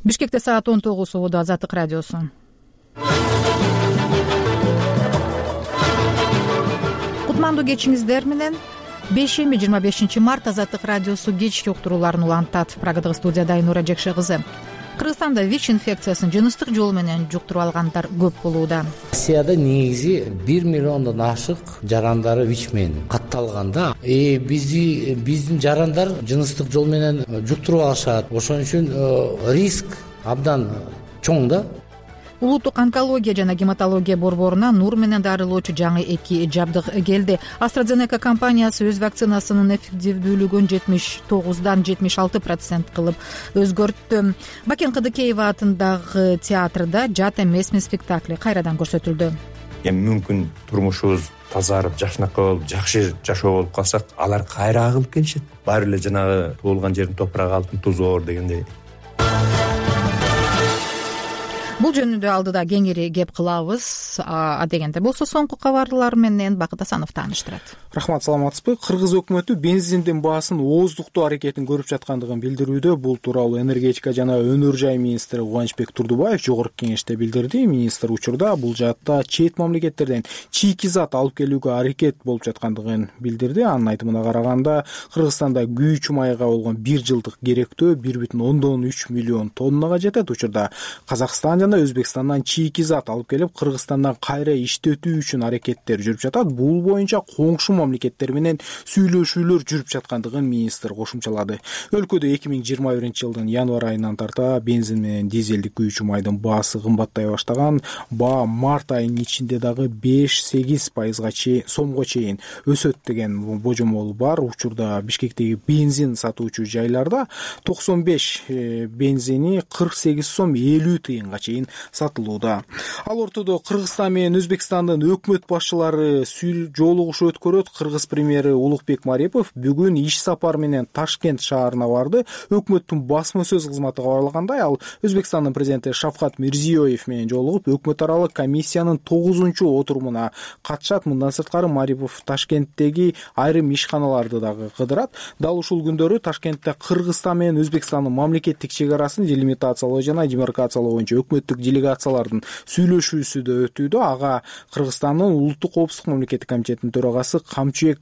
Бишкекте саат 19 убада Азаттык радиосу. Кутмандуу кечиңиздер менен 25 март Азаттык радиосу кечки уктурууларын улантат. Прагадагы студияда Айнура Жекше кызы. Кыргызстанда ВИЧ инфекциясын жыныстык жол менен жуктуруп алгандар көп болууда. Россияда негизи 1 миллиондон ашык жарандары ВИЧ менен катталганда, биздин жарандар жыныстык жол менен жуктуруп алышат. Ошон үчүн риск абдан чоң да. Улуттук онкология жана гематология борборуна нур менен дарылоочу жаңы 2 жабдык келди. AstraZeneca компаниясы өз вакцинасынын эффективдүүлүгүн 79дан 76% кылып өзгөрттү. Бакен Кыдыкеева атындагы театрда жат эмесмин спектакли кайрадан көрсөтүлдү. Эми мүмкүн турмушубуз тазарып, жакшынакай болуп, жакшы жашоо болуп калсак, алар кайра агылып келишет. Баары эле жанагы туулган жердин топурагы алтын тузу оор дегендей. Бул жөнүндө алдыда кеңири кеп кылабыз. Дегенде болсо соңку кабарлар менен Бакыт Асанов тааныштырат. Рахмат, саламатсызбы? Кыргыз өкмөтү бензиндин баасын ооздуктоо аракетин көрүп жаткандыгын билдирүүдө. Бул тууралуу энергетика жана өнөр жай министри Кубанычбек Турдубаев жогорку кеңеште билдирди. Министр учурда бул жаатта чет мамлекеттерден чийки зат алып келүүгө аракет болуп жаткандыгын билдирди. Анын айтымына караганда, Кыргызстанда күйүүчү майга болгон 1 жылдык керектөө 1,3 миллион тоннага жетет. Учурда Казакстан жана Өзбекстандан чийки зат алып келип, Кыргызстандан кайра иштетүү үчүн аракеттер жүрүп жатат. Бул боюнча коңшу мамлекеттер менен сүйлөшүүлөр жүрүп жаткандыгын министр кошумчалады. Өлкөдө 2021-жылдын январь айынан тарта бензин менен дизелдик күйүүчү майдын баасы кымбаттай баштаган. Баа март айынын ичинде дагы 5-8% сомго чейин өсөт деген божомол бар. Учурда Бишкектеги бензин сатуучу жайларда 95 бензини 48 сом 50 тыйынга чейин сатылууда. Ал ортодо Кыргызстан менен Өзбекстандын өкмөт башчылары жолугушуу өткөрөт. Кыргыз премьери Улукбек Марипов бүгүн иш сапар менен Ташкент шаарына барды. Өкмөттүн басма сөз кызматы кабарлагандай, ал Өзбекстандын президенти Шавкат Мирзиёев менен жолугуп, өкмөт аралык комиссиянын 9-чу отурумуна катышат. Мындан сырткары Марипов Ташкенттеги айрым ишканаларды дагы кыдырат. Дал ушул күндөрү Ташкентте Кыргызстан менен Өзбекстандын мамлекеттик чек арасын делимитациялоо жана демаркациялоо боюнча өкмөттүк делегациялардын сүйлөшүүсү да өтүүдө. Ага Кыргызстандын улуттук коопсуздук мамлекеттик комитетинин төрагасы Камчыбек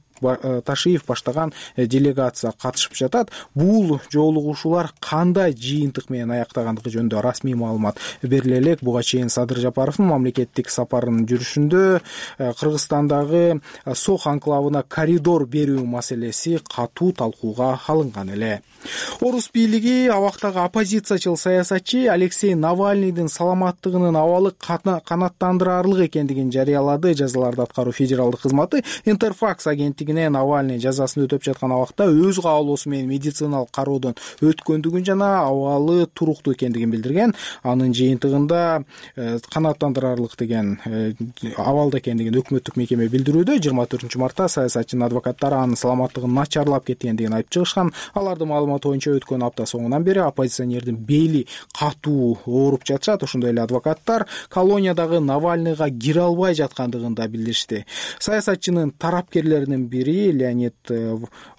Ташиев баштаган делегация катышып жатат. Бул жолугушуулар кандай жыйынтык менен аяктагандыгы жөнүндө расмий маалымат бериле элек. Буга чейин Садыр Жапаровдун мамлекеттик сапарынын жүрүшүндө Кыргызстандагы Сох анклавына коридор берүү маселеси катуу талкууга алынган эле. Орус бийлиги абактагы оппозициячыл саясатчы Алексей Навальныйдын саламаттыгынын абалы канааттандырарлык экендигин жарыялады. Жазаларды аткаруу федералдык кызматы Интерфакс агенттигине Навальный жазасын өтөп жаткан абакта өз каалоосу менен медициналык кароодон өткөндүгүн жана абалы туруктуу экендигин билдирген. Анын жыйынтыгында канааттандырарлык деген абалда экендигин өкмөттүк мекеме билдирүүдө. 24-мартта саясатчынын адвокаттары анын саламаттыгын начарлап кеткендигин айтып чыгышкан. Алардын маалыматы боюнча өткөн апта соңунан бери оппозиционердин бели катуу ооруп жатышат. Ошондой эле адвокаттар колониядагы Навальныйга кире албай жаткандыгын да билдиришти. Саясатчынын тарапкерлеринин бири Леонид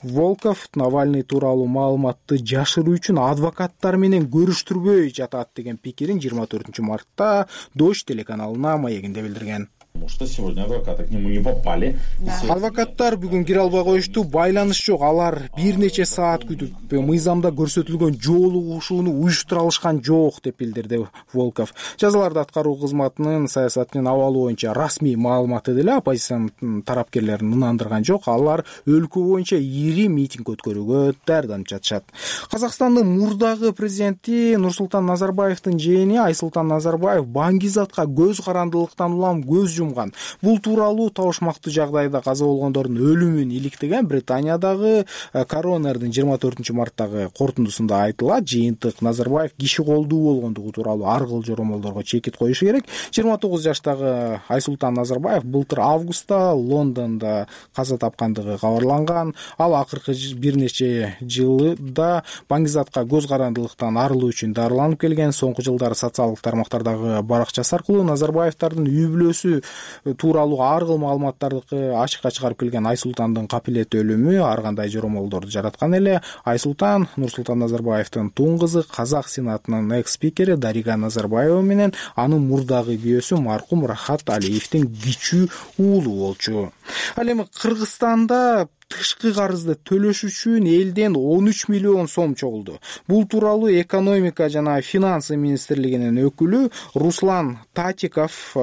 Волков Навальный тууралуу маалыматты жашыруу үчүн адвокаттар менен көрүштүрбөй жатат деген пикирин 24-мартта Дождь телеканалына маегинде билдирген. Что сегодня адвокаты к нему не попали. Адвокаттар бүгүн кире албай коюшту. Байланыш жок. Алар бир нече саат күтүп мыйзамда көрсөтүлгөн жолугушууну уюштура алышкан жок деп билдирди Волков. Жазаларды аткаруу кызматынын саясатынын абалы боюнча расмий маалыматы деле оппозициянын тарапкерлерин ынандырган жок. Алар өлкө боюнча ири митинг өткөрүүгө даярданып жатышат. Казакстандын мурдагы президенти Нурсултан Назарбаевдин жээни Айсултан Назарбаев Баңгизатка көз карандылыктан улам көз жумган. Бул тууралуу табышмактуу жагдайда каза болгондордун өлүмүн иликтеген Британиядагы коронердин 24-марттагы корутундусунда айтылат. Жыйынтык Назарбаев киши колдуу болгондугу тууралуу ар кыл жоромолдорго чекит коюшу керек. 29 жаштагы Айсултан Назарбаев былтыр августта Лондондо каза тапкандыгы кабарланган. Ал акыркы бир нече жылда Баңгизатка көз карандылыктан арылуу үчүн дарыланып келген. Соңку жылдары социалдык тармактардагы баракчасы аркылуу Назарбаевдардын үй бүлөсү тууралуу ар кыл маалыматтарды ачыкка чыгарып келген Айсултандын капилет өлүмү ар кандай жоромолдорду жараткан эле. Айсултан Нурсултан Назарбаевдин тууң кызы, Казак Сенатынын экс-спикери Дарига Назарбаева менен анын мурдагы күйөөсү маркум Рахат Алиевдин кичүү уулу болчу. Ал эми Кыргызстанда тышкы карызды төлөш үчүн элден 13 миллион сом чогулду. Бул тууралуу экономика жана финансы министрлигинин өкүлү Руслан Татиков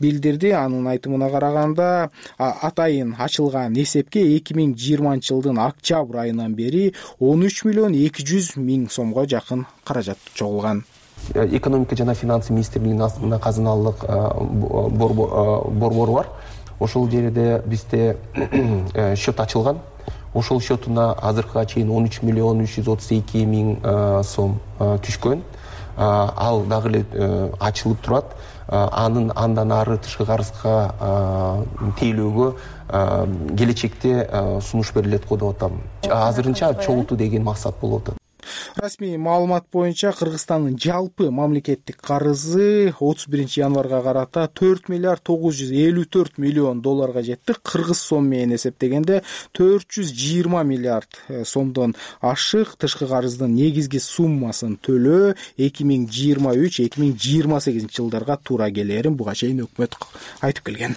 билдирди. Анын айтымына караганда, атайын ачылган эсепке 2020 жылдын октябрь айынан бери 13 миллион 200 миң сомго жакын каражат чогулган. Экономика жана финансы министрлигинин астында казыналык борбор бар. Ошол жерде бизде счет ачылган. Ошол счетуна азыркыга чейин 13 миллион 332 миң сом түшкөн. Ал дагы эле ачылып турат. Андан ары тышкы карызга тейлөөгө келечекте сунуш берилет го деп атам. Азырынча чогултуу деген максат болуп атат. Расмий маалымат боюнча Кыргызстандын жалпы мамлекеттик карызы 31 январга карата 4 миллиард 954 миллион долларга жетти. Кыргыз сом менен эсептегенде 420 миллиард сомдон ашык. Тышкы карыздын негизги суммасын төлөө 2023-2028 жылдарга туура келерин буга чейин өкмөт айтып келген.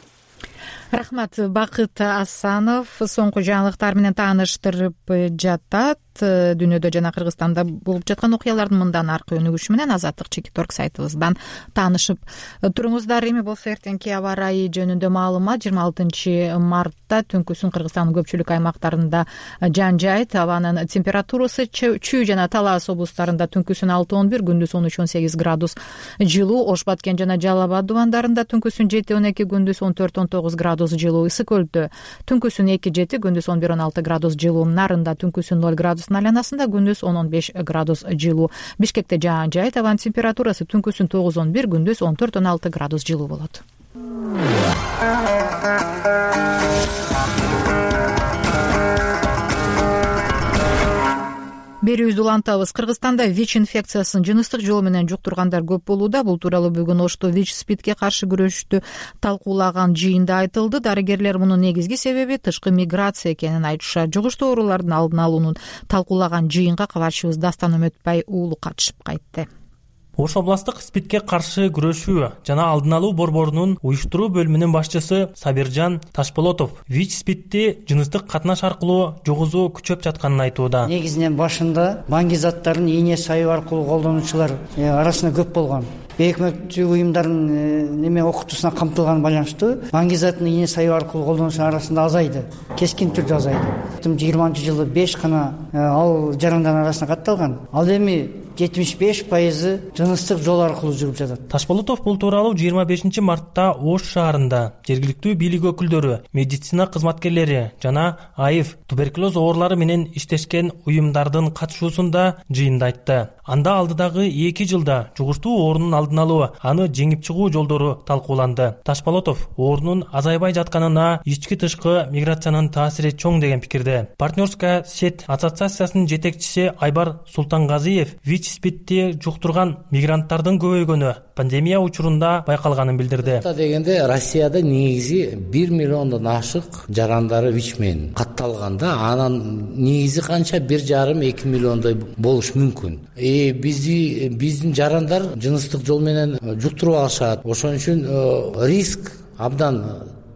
Рахмат. Бакыт Асанов соңку жаңылыктар менен тааныштырып жатат. Дүйнөдө жана Кыргызстанда болуп жаткан окуялардын мындан аркы өнүгүшү менен Азаттык Чекиторг сайтыбыздан таанышып туруңуздар. Эми болсо эртеңки аба ырайы жөнүндө маалымат. 26 мартта түнкүсүн Кыргызстандын көпчүлүк аймактарында жан жайт, абанын температурасы Чүй жана Талас облустарында түнкүсүн 6-11, күндүз 13-18 градус жылуу, Ош Баткен жана Жалал Абад дубандарында түнкүсүн 7-12, күндүз 14-19 градус жылуу, Ысык Көлдө түнкүсүн 2-7, күндүз 11-16 градус жылуу, Нарында түнкүсүн 0 градус айланасында, күндүз 10-15 градус жылуу. Бишкекте жаан жайт, абанын температурасы түнкүсүн 9-11, күндүз 14-16 градус жылуу болот. Берүүбүздү улантабыз. Кыргызстанда ВИЧ инфекциясын жыныстык жол менен жуктургандар көп болууда. Бул тууралуу бүгүн Ошто ВИЧ-спидке каршы күрөштү талкуулаган жыйында айтылды. Дарыгерлер мунун негизги себеби тышкы миграция экенин айтышат. Жугуштуу оорулардын алдын алуунун талкуулаган жыйынга кабарчыбыз Дастан Өмөтбай уулу катышып кайтты. Ош областык СПИДке каршы күрөшүү жана алдын алуу борборунун уюштуруу бөлүмүнүн башчысы Сабиржан Ташполотов ВИЧ-спидти жыныстык катнаш аркылуу жугузуу күчөп жатканын айтууда. Негизинен башында баңги заттарын ийне сайып аркылуу колдонуучулар арасында көп болгон. Өкмөттүк уюмдардын окутуусуна камтылган байланыштуу баңги затын ийне сайып аркылуу колдонуучулар арасында азайды. Кескин түрдө азайды. 20-жылы 5 гана ал жарандардын арасына катталган. Ал эми 75% жыныстык жол аркылуу жүрүп жатат. Ташполотов бул тууралуу 25 мартта Ош шаарында жергиликтүү бийлик өкүлдөрү, медицина кызматкерлери жана АИФ туберкулез оорулары менен иштешкен уюмдардын катышуусунда жыйында айтты. Анда алдыдагы 2 жылда жугуштуу оорунун алдын алуу, аны жеңип чыгуу жолдору талкууланды. Ташполотов оорунун азайбай жатканына ички тышкы миграциянын таасири чоң деген пикирде. Партнерская сеть ассоциациясынын жетекчиси Айбар Султангазиев ВИЧ-спидти жуктурган мигранттардын көбөйгөнү пандемия учурунда байкалганын билдирди. Дегенде Россияда негизи 1 миллиондон ашык жарандары ВИЧ менен катталганда, анан негизи канча 1,5-2 миллиондой болуш мүмкүн. Биздин жарандар жыныстык жол менен жуктуруп алышат. Ошон үчүн риск абдан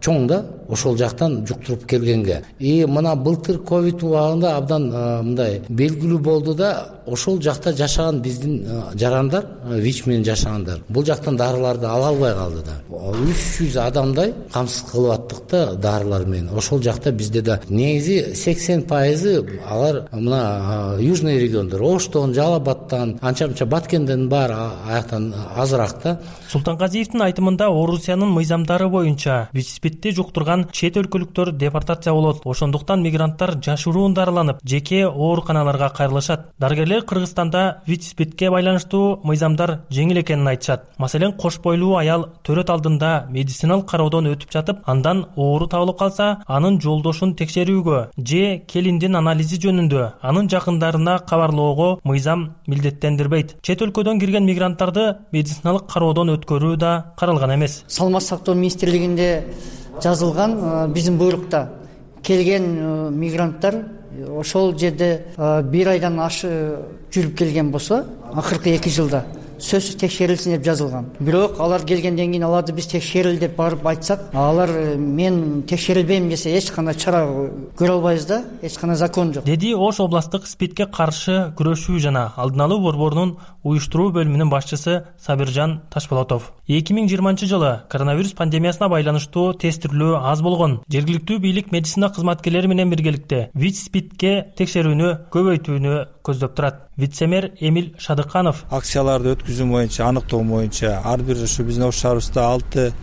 чоң да ошол жактан жуктуруп келгенге. Мына былтыр ковид убагында абдан мындай белгилүү болду да, ошол жакта жашаган биздин жарандар, ВИЧ менен жашагандар, бул жактан дарыларды ала албай калды да. 300 адамдай камсыз кылып аттык да дарылар менен. Ошол жакта бизде да негизи 80% алар мына южный региондор, Оштон, Жалал Абадтан, анча-мынча Баткенден бар, аяктан азыраак да. Султангазиевдин айтымында Орусиянын мыйзамдары боюнча ВИЧ-спидти жуктурган чет өлкөлүктөр депортация болот. Ошондуктан мигранттар жашыруун дарыланып, жеке ооруканаларга кайрылышат. Дарыгерлер Кыргызстанда ВИЧ-спидке байланыштуу мыйзамдар жеңил экенин айтышат. Маселен, кош бойлуу аял төрөт алдында учурунда медициналык кароодон өтүп жатып, андан оору табылып калса, анын жолдошун текшерүүгө же келиндин анализи жөнүндө анын жакындарына кабарлоого мыйзам милдеттендирбейт. Чет өлкөдөн кирген мигранттарды медициналык кароодон өткөрүү да каралган эмес. Саламаттык сактоо министрлигинде жазылган биздин буйрукта келген мигранттар ошол жерде 1 айдан жүрүп келген болсо, акыркы 2 жылда сөзсүз текшерилсин деп жазылган. Бирок алар келгенден кийин аларды биз текшерил деп барып айтсак, алар мен текшерилбейм десе эч кандай чара көрө албайбыз да, эч кандай закон жок, деди Ош областык СПИДке каршы күрөшүү жана алдын алуу борборунун уюштуруу бөлүмүнүн башчысы Сабиржан Ташполотов. 2020-жылы коронавирус пандемиясына байланыштуу тестирүү аз болгон. Жергиликтүү бийлик медицина кызматкерлери менен биргеликте ВИЧ-СПИДке текшерүүнү көбөйтүүнү көздөп турат. Вице-мэр Эмил Шадыканов акцияларды өткүзүү боюнча, аныктоо боюнча ар бир ушу биздин Ош шаарыбызда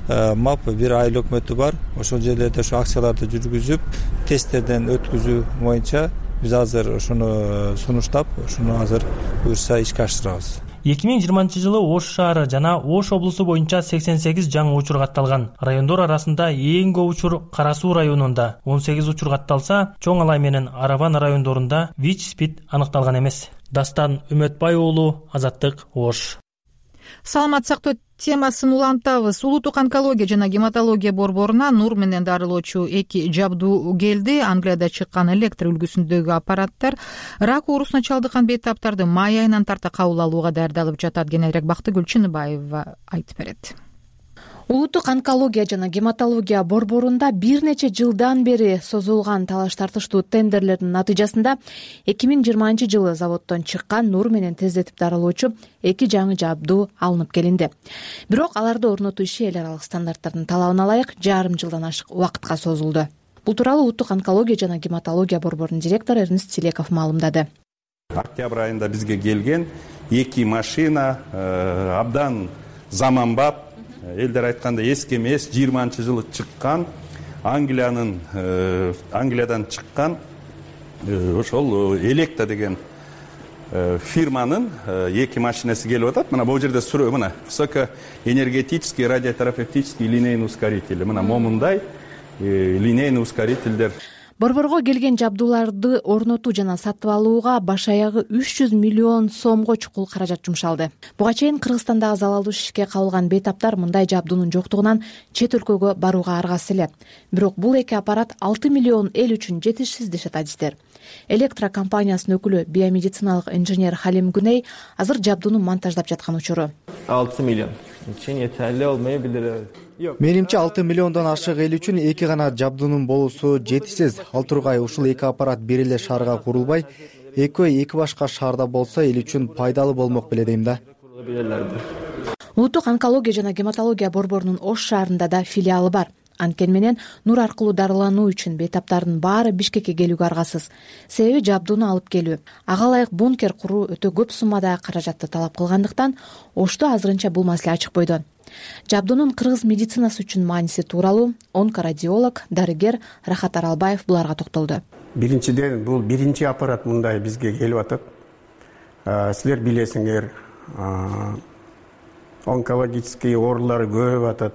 6 МАП, 1 айыл өкмөтү бар. Ошол жерлерде ушу акцияларды жүргүзүп, тесттерден өткүзүү боюнча биз азыр ушуну сунуштап, ушуну азыр буюрса ишке ашырабыз. 2020-жылы Ош шаары жана Ош облусу боюнча 88 жаңы учур катталган. Райондор арасында эң көп учур Кара Суу районунда 18 учур катталса, Чоң Алай менен Арабан райондорунда ВИЧ-СПИД аныкталган эмес. Дастан Үмөтбай уулу, Азаттык, Ош. Саламат сактоо темасын улантабыз. Улуттук онкология жана гематология борборуна нур менен дарылоочу 2 жабдуу келди. Англияда чыккан электр үлгүсүндөгү аппараттар рак оорусуна чалдыккан бейтаптарды май айынан тарта кабыл алууга даярдалып жатат. Кененирээк Бактыгүл Чыныбаева айтып берет. Улуттук онкология жана гематология борборунда бир нече жылдан бери созулган талаш тартыштуу тендерлердин натыйжасында 2020-жылы заводдон чыккан нур менен тездетип дарылоочу 2 жаңы жабдуу алынып келинди. Бирок аларды орнотуу иши эл аралык стандарттардын талабына ылайык жарым жылдан ашык убакытка созулду. Бул тууралуу Улуттук онкология жана гематология борборунун директору Эрнест Тилеков маалымдады. Октябрь айында бизге келген 2 машина абдан заманбап, элдер айтканда эски эмес, 20-жылы чыккан, Англиядан чыккан ошол Электа деген фирманын 2 машинасы келип атат. Мына бул жерде суроо, мына высокоэнергетический радиотерапевтический линейный ускоритель. Мына момундай линейный ускорительдер. Борборго келген жабдууларды орнотуу жана сатып алууга баш аягы 300 миллион сомго чукул каражат жумшалды. Буга чейин Кыргызстандагы залалдуу ишке кабылган бейтаптар мындай жабдуунун жоктугунан чет өлкөгө барууга аргасыз эле. Бирок бул 2 аппарат 6 миллион эл үчүн жетишсиз дешет адистер. Электро компаниясынын өкүлү биомедициналык инженер Халим Гүней азыр жабдууну монтаждап жаткан учуру. 6 миллион үчүн этели болмой билдирет. Менимче 6 миллиондон ашык эл үчүн 2 гана жабдуунун болуусу жетишсиз. Ал тургай ушул 2 аппарат бир эле шаарга курулбай, экөө 2 башка шаарда болсо эл үчүн пайдалуу болмок беле дейм да. Улуттук онкология жана гематология борборунун Ош шаарында да филиалы бар. Анткени менен нур аркылуу дарылануу үчүн бейтаптардын баары Бишкекке келүүгө аргасыз. Себеби жабдууну алып келүү, ага ылайык бункер куруу өтө көп суммадагы каражатты талап кылгандыктан Ошто азырынча бул маселе ачыкпойдо. Жабдуунун кыргыз медицинасы үчүн мааниси тууралуу онкорадиолог, дарыгер Рахат Аралбаев буларга токтолду. Биринчиден бул биринчи аппарат мындай бизге келип атат. Силер билесиңер, онкологический оорулар көбөйүп атат.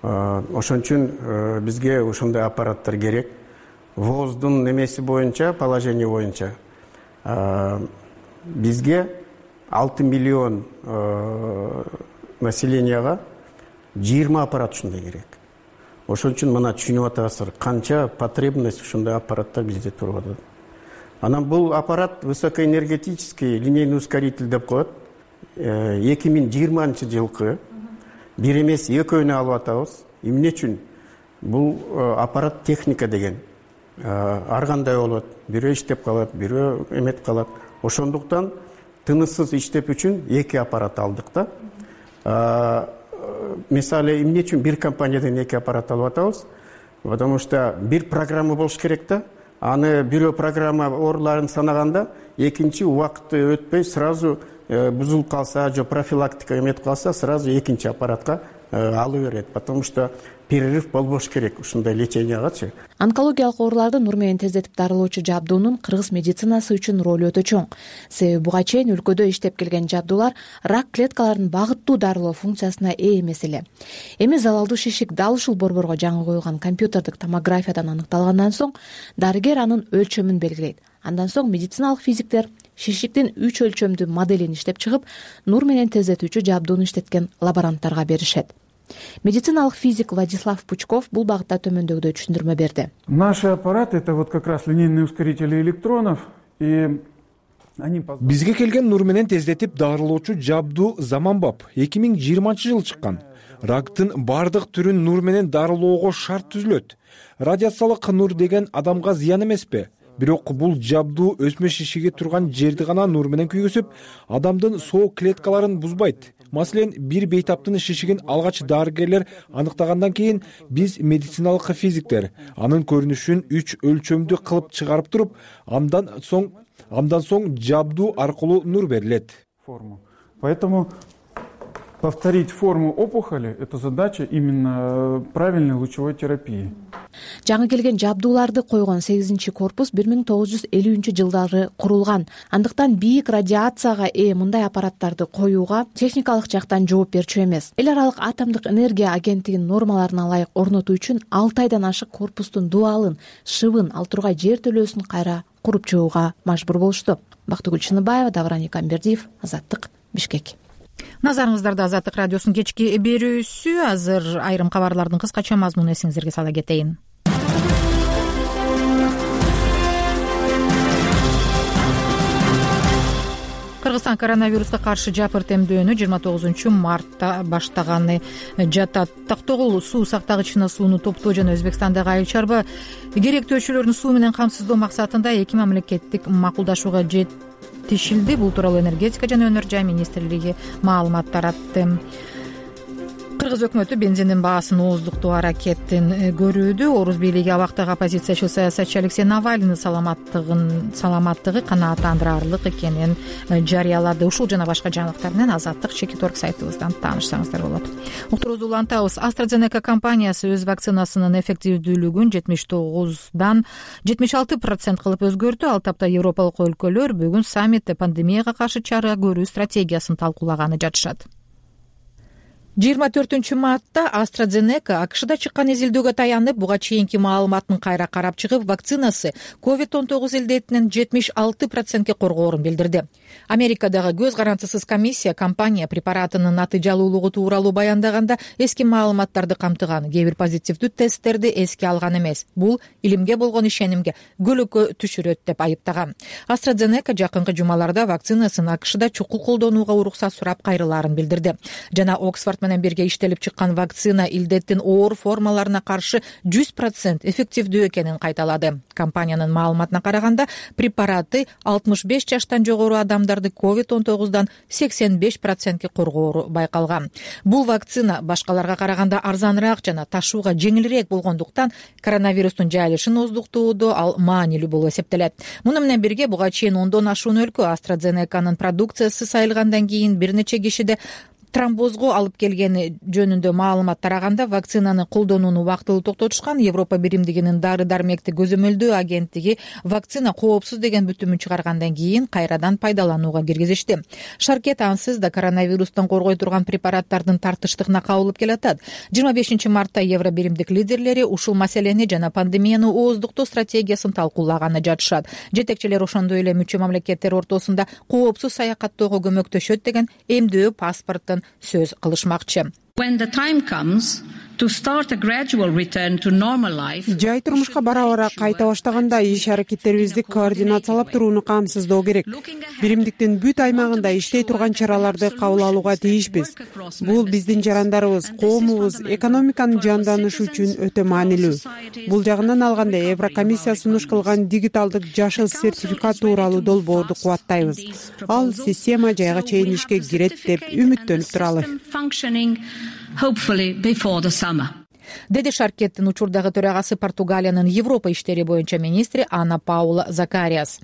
Ошон үчүн бизге ушундай аппараттар керек. ВОЗдун немеси боюнча, положение боюнча бизге 6 миллион населенияга 20 аппарат ушундай керек. Ошон үчүн мына түшүнүп атасыздар, канча потребность ушундай аппараттар бизде туруп атат. Анан бул аппарат высокоэнергетический линейный ускоритель деп коет. 2020-жылкы бир эмес экөөнү алып атабыз. Эмне үчүн? Бул аппарат техника деген. Ар кандай болот, бирөө иштеп калат, бирөө эметип калат. Ошондуктан тыныссыз иштеп үчүн 2 аппарат алдык да. Мисалы, эмне үчүн бир компаниядан 2 аппарат алып атабыз? Потому что бир программа болуш керек да. Аны бирөө программа ооруларын санаганда, экинчи убакыты өтпөй сразу бузулуп калса, же профилактика эметип калса, сразу экинчи аппаратка алы берет, потому что перерыв болбош керек ушундай лечениягачы. Онкологиялык ооруларды нур менен тездетип дарылоочу жабдуунун кыргыз медицинасы үчүн ролу өтө чоң. Себеби буга чейин өлкөдө иштеп келген жабдуулар рак клеткаларын багыттуу дарылоо функциясына ээ эмес эле. Эми залалдуу шишик дал ушул борборго жаңы коюлган компьютердик томографиядан аныкталгандан соң дарыгер анын өлчөмүн белгилейт. Андан соң медициналык физиктер шишиктин 3 өлчөмдүү моделин иштеп чыгып, нур менен тездетүүчү жабдууну иштеткен лаборанттарга беришет. Медициналык физик Владислав Пучков бул багытта төмөндөгүдөй түшүндүрмө берди. Наши аппараты — это вот как раз линейные ускорители электронов, и бизге келген нур менен тездетип дарылоочу жабдуу заманбап 2020-жыл чыккан. Рактын бардык түрүн нур менен дарылоого шарт түзүлөт. Радиациялык нур деген адамга зыян эмеспи? Бирок бул жабдуу өсмө шишиги турган жерди гана нур менен күйгүзүп, адамдын соо клеткаларын бузбайт. Маселен, бир бейтаптын шишигин алгач дарыгерлер аныктагандан кийин биз медициналык физиктер анын көрүнүшүн 3 өлчөмдүү кылып чыгарып туруп, андан соң жабдуу аркылуу нур берилет. Поэтому повторить форму опухоли — это задача именно правильной лучевой терапии. Жаңы келген жабдууларды койгон 8-корпус 1950-жылдары курулган. Андыктан бийик радиацияга ээ мындай аппараттарды коюуга техникалык жактан жооп берчү эмес. Эл аралык атомдук энергия агенттигинин нормаларына ылайык орнотуу үчүн 6 айдан ашык корпустун дубалын, шыбын, ал тургай жер төлөөсүн кайра куруп чыгууга мажбур болушту. Бактыгүл Чыныбаева, Давран Икамбердиев, Азаттык, Бишкек. Назарыңыздарда Азаттык радиосунун кечки берүүсү. Азыр айрым кабарлардын кыскача мазмунун эсиңиздерге сала кетейин. Кыргызстан коронавируска каршы жапырт эмдөөнү 29-мартта баштаганы жатат. Токтогул суу сактагычына сууну топтоо жана Өзбекстандагы айыл чарба керектөөчүлөрүн суу менен камсыздоо максатында 2 мамлекеттик макулдашууга жетишилди. Бул тууралуу энергетика жана өнөр жай министрлиги маалымат таратты. Кыргыз өкмөтү бензиндин баасын ооздуктоо аракетин көрүүдө. Орус бийлиги абактагы оппозициячы саясатчы Алексей Навальный саламаттыгы канааттандырарлык экенин жарыялады. Ушул жана башка жаңылыктар менен Азаттык Чекиторг сайтыбыздан таанышсаңыздар болот. Уктуруубузду улантабыз. AstraZeneca компаниясы өз вакцинасынын эффективдүүлүгүн 79дан 76% кылып өзгөртү. Ал тапта европалык өлкөлөр бүгүн саммитте пандемияга каршы чара көрүү стратегиясын талкуулаганы жатышат. 24-мартта AstraZeneca АКШда чыккан изилдөөгө таянып, буга чейинки маалыматын кайра карап чыгып, вакцинасы COVID-19 илдетинин 76%ке коргоорун билдирди. Америкадагы көз карандысыз комиссия компания препаратынын натыйжалуулугу тууралуу баяндаганда эски маалыматтарды камтыган, кээ бир позитивдүү тесттерди эске алган эмес. Бул илимге болгон ишенимге көлөкө түшүрөт деп айыптаган. AstraZeneca жакынкы жумаларда вакцинасын АКШда чукул колдонууга уруксат сурап кайрылаарын билдирди. Жана Оксфорд менен бирге иштелип чыккан вакцина илдеттин оор формаларына каршы 100% эффективдүү экенин кайталады. Компаниянын маалыматына караганда, препараты 65 жаштан жогору адамдарды COVID-19дан 85%ке коргоору байкалган. Бул вакцина башкаларга караганда арзаныраак жана ташууга жеңилирээк болгондуктан коронавирустун жайылышын ооздуктоодо ал маанилүү болуп эсептелет. Муну менен бирге буга чейин 10дон ашуун өлкө AstraZeneca'нын продукциясы сайылгандан кийин бир нече кишиде тромбозго алып келгени жөнүндө маалымат тараганда, вакцинаны колдонууну убактылуу токтотушкан. Европа биримдигинин дары-дармекти көзөмөлдөө агенттиги вакцина коопсуз деген бүтүмүн чыгаргандан кийин кайрадан пайдаланууга киргизишти. Шаркет ансыз да коронавирустан коргой турган препараттардын тартыштыгына кабылып келатат. 25-мартта Евро биримдик лидерлери ушул маселени жана пандемияны ооздуктоо стратегиясын талкуулаганы жатышат. Жетекчилер ошондой эле мүчө мамлекеттер ортосунда коопсуз саякаттоого көмөктөшөт деген эмдөө паспорттун сөз кылышмакчы. Жай турмушка бара-бара кайта баштаганда иш аракеттерибизди координациялап турууну камсыздоо керек. Биримдиктин бүт аймагында иштей турган чараларды кабыл алууга тийишпиз. Бул биздин жарандарыбыз, коомубуз, экономиканын жанданышы үчүн өтө маанилүү. Бул жагынан алганда Еврокомиссия сунуш кылган дигиталдык жашыл сертификат тууралуу долбоорду кубаттайбыз. Ал система жайга чейин ишке кирет деп үмүттөнүп туралы. деди шаркеттин учурдагы төрагасы Португалиянын Европа иштери боюнча министри Ана Паула Закариас.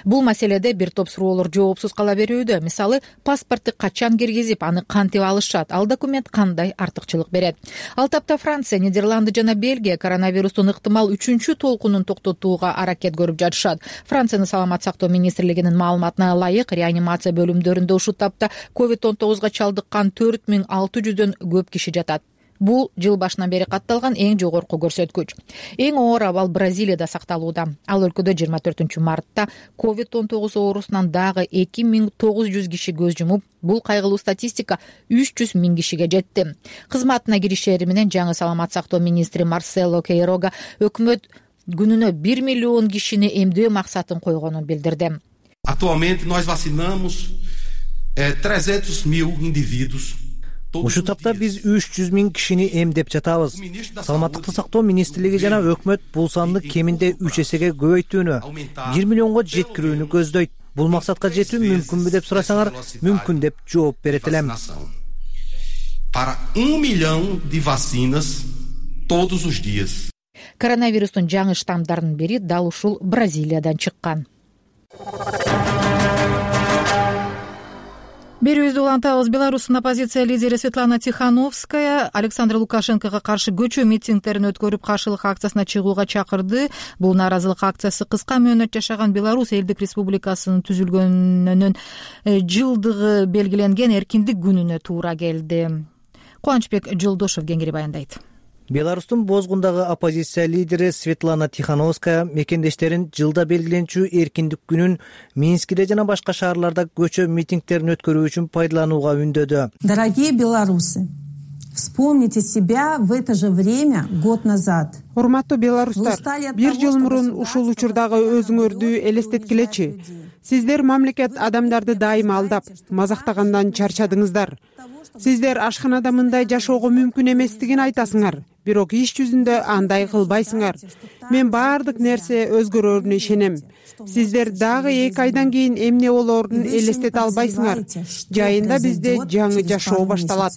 Бул маселеде бир топ суроолор жоопсуз кала берүүдө. Мисалы, паспортты качан киргизип, аны кантип алышат, ал документ кандай артыкчылык берет. Ал тапта Франция, Нидерланды жана Бельгия коронавирустун ыктымал 3-чү толкунун токтотууга аракет көрүп жатышат. Франциянын саламат сактоо министрлигинин маалыматына ылайык, реанимация бөлүмдөрүндө ушул тапта COVID-19 чалдыккан 4600дөн көп киши жатат. Бул жыл башынан бери катталган эң жогорку көрсөткүч. Эң оор абал Бразилияда сакталууда. Ал өлкөдө 24-мартта COVID-19 оорусунан дагы 2900 киши көз жумуп, бул кайгылуу статистика 300 000 кишиге жетти. Кызматына киришери менен жаңы саламат сактоо министри Марсело Кейрога өкмөт күнүнө 1 миллион кишини эмдөө максатын койгонун билдирди. Atualmente nós vacinamos 300.000 indivíduos. Ушул тапта биз 300 000 кишини эмдеп жатабыз. Саламаттыкты сактоо министрлиги жана өкмөт бул санды кеминде 3 эсеге көбөйтүүнү, 1 миллионго жеткирүүнү көздөйт. Бул максатка жетүү мүмкүнбү деп сурасаңар, мүмкүн деп жооп берет элем. Para 1 milhão de vacinas todos os dias. Коронавирустун жаңы штаммдарынын бири дал ушул Бразилиядан чыккан. Берүүбүздү улантабыз. Беларустун оппозиция лидери Светлана Тихановская Александр Лукашенкого каршы көчө митингдерин өткөрүп, каршылык акциясына чыгууга чакырды. Бул нааразылык акциясы кыска мөөнөт жашаган Беларусь элдик республикасынын түзүлгөнүнүн жылдыгы белгиленген эркиндик күнүнө туура келди. Кубанычбек Жолдошов кеңири баяндайт. Беларустун бозгундагы оппозиция лидери Светлана Тихановская мекендештерин жылда белгиленчү эркиндик күнүн Минскиде жана башка шаарларда көчө митингдерин өткөрүү үчүн пайдаланууга үндөдү. Дорогие белорусы, вспомните себя в это же время год назад. Урматтуу белорустар, бир жыл мурун ушул учурдагы өзүңөрдү элестеткилечи. Сиздер мамлекет адамдарды дайыма алдап, мазактагандан чарчадыңыздар. Сиздер ашканада мындай жашоого мүмкүн эместигин айтасыңар, бирок иш жүзүндө андай кылбайсыңар. Мен баардык нерсе өзгөрөрүнө ишенем. Сиздер дагы 2 айдан кийин эмне болоорун элестете албайсыңар. Жайында бизде жаңы жашоо башталат.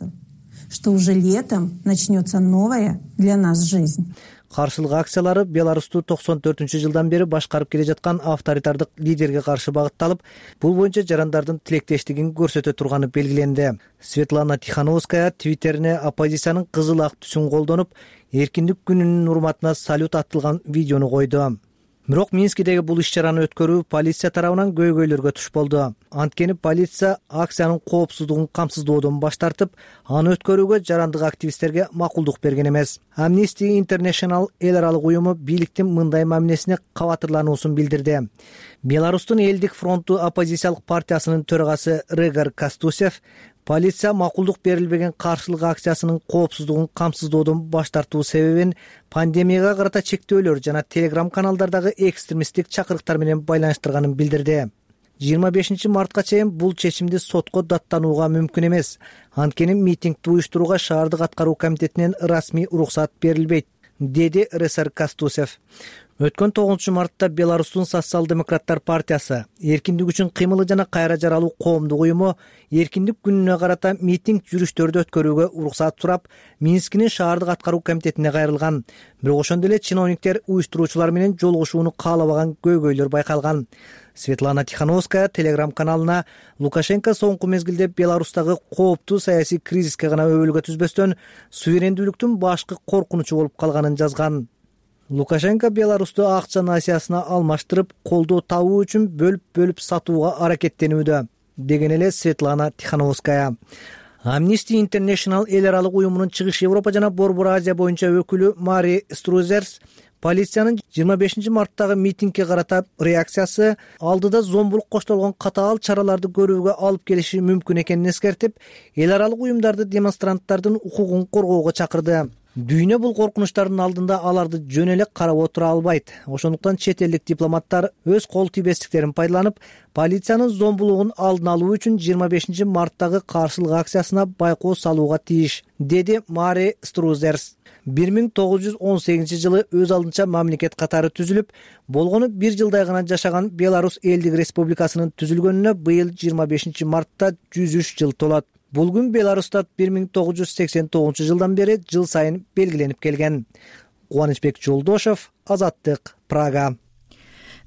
Что уже летом начнется новая для нас жизнь. Каршылык акциялары Беларусту 94-жылдан бери башкарып келе жаткан авторитардык лидерге каршы багытталып, бул боюнча жарандардын тилектештигин көрсөтө турганы белгиленди. Светлана Тихановская твиттерине оппозициянын кызыл ак түсүн колдонуп, эркиндик күнүнүн урматына салют аттылган видеону койду. Бирок Минскидеги бул иш-чараны өткөрүү полиция тарабынан көйгөйлөргө туш болду. Анткени полиция акциянын коопсуздугун камсыздоодон баш тартып, аны өткөрүүгө жарандык активисттерге макулдук берген эмес. Amnesty International эл аралык уюму бийликтин мындай мамилесине кабатырлануусун билдирди. Беларустун элдик фронту оппозициялык партиясынын төрагасы Регар Кастусев полиция макулдук берилбеген каршылык акциясынын коопсуздугун камсыздоодон баш тартуу себебин пандемияга карата чектөөлөр жана Telegram каналдардагы экстремисттик чакырыктар менен байланыштырганын билдирди. 25 мартка чейин бул чечимди сотко даттанууга мүмкүн эмес. Анткени митингди уюштурууга шаардык аткаруу комитетинен расмий уруксат берилбейт, деди Ресар Кастусев. Өткөн 9-мартта Беларустун социал-демократтар партиясы эркиндик үчүн кыймылы жана кайра жаралуу коомдук уюму эркиндик күнүнө карата митинг жүрүштөрдү өткөрүүгө уруксат сурап, Минскинин шаардык аткаруу комитетине кайрылган. Бирок ошондо эле чиновниктер уюштуруучулар менен жолугушууну каалабаган көйгөйлөр байкалган. Светлана Тихановская Telegram каналына Лукашенко соңку мезгилде Беларустагы кооптуу саясий кризиске гана өбөлгө түзбөстөн суверендүүлүктүн башкы коркунучу болуп калганын жазган. Лукашенко Беларусту акча насиясына алмаштырып, колдоо табуу үчүн бөлүп сатууга аракеттенүүдө, деген эле Светлана Тихановская. Amnesty International эл аралык уюмунун Чыгыш Европа жана Борбор Азия боюнча өкүлү Мари Струзерс полициянын 25 марттагы митингге карата реакциясы алдыда зомбулук коштолгон катаал чараларды көрүүгө алып келиши мүмкүн экенин эскертип, эл аралык уюмдарды демонстранттардын укугун коргоого чакырды. Дүйнө бул коркунучтардын алдында аларды жөн эле карап отура албайт. Ошондуктан чет элдик дипломаттар өз кол тийбестиктерин пайдаланып, полициянын зомбулугун алдын алуу үчүн 25 марттагы каршылык акциясына байкоо салууга тийиш, деди Мари Струзерс. 1918 жылы өз алдынча мамлекет катары түзүлүп, болгону 1 жылдай гана жашаган Беларусь элдик республикасынын түзүлгөнүнө быйыл 25 мартта 103 жыл толот. Бул күн Беларуста 1989 бери жыл сайын белгиленип келген. Кубанычбек Жолдошов, Азаттык, Прага.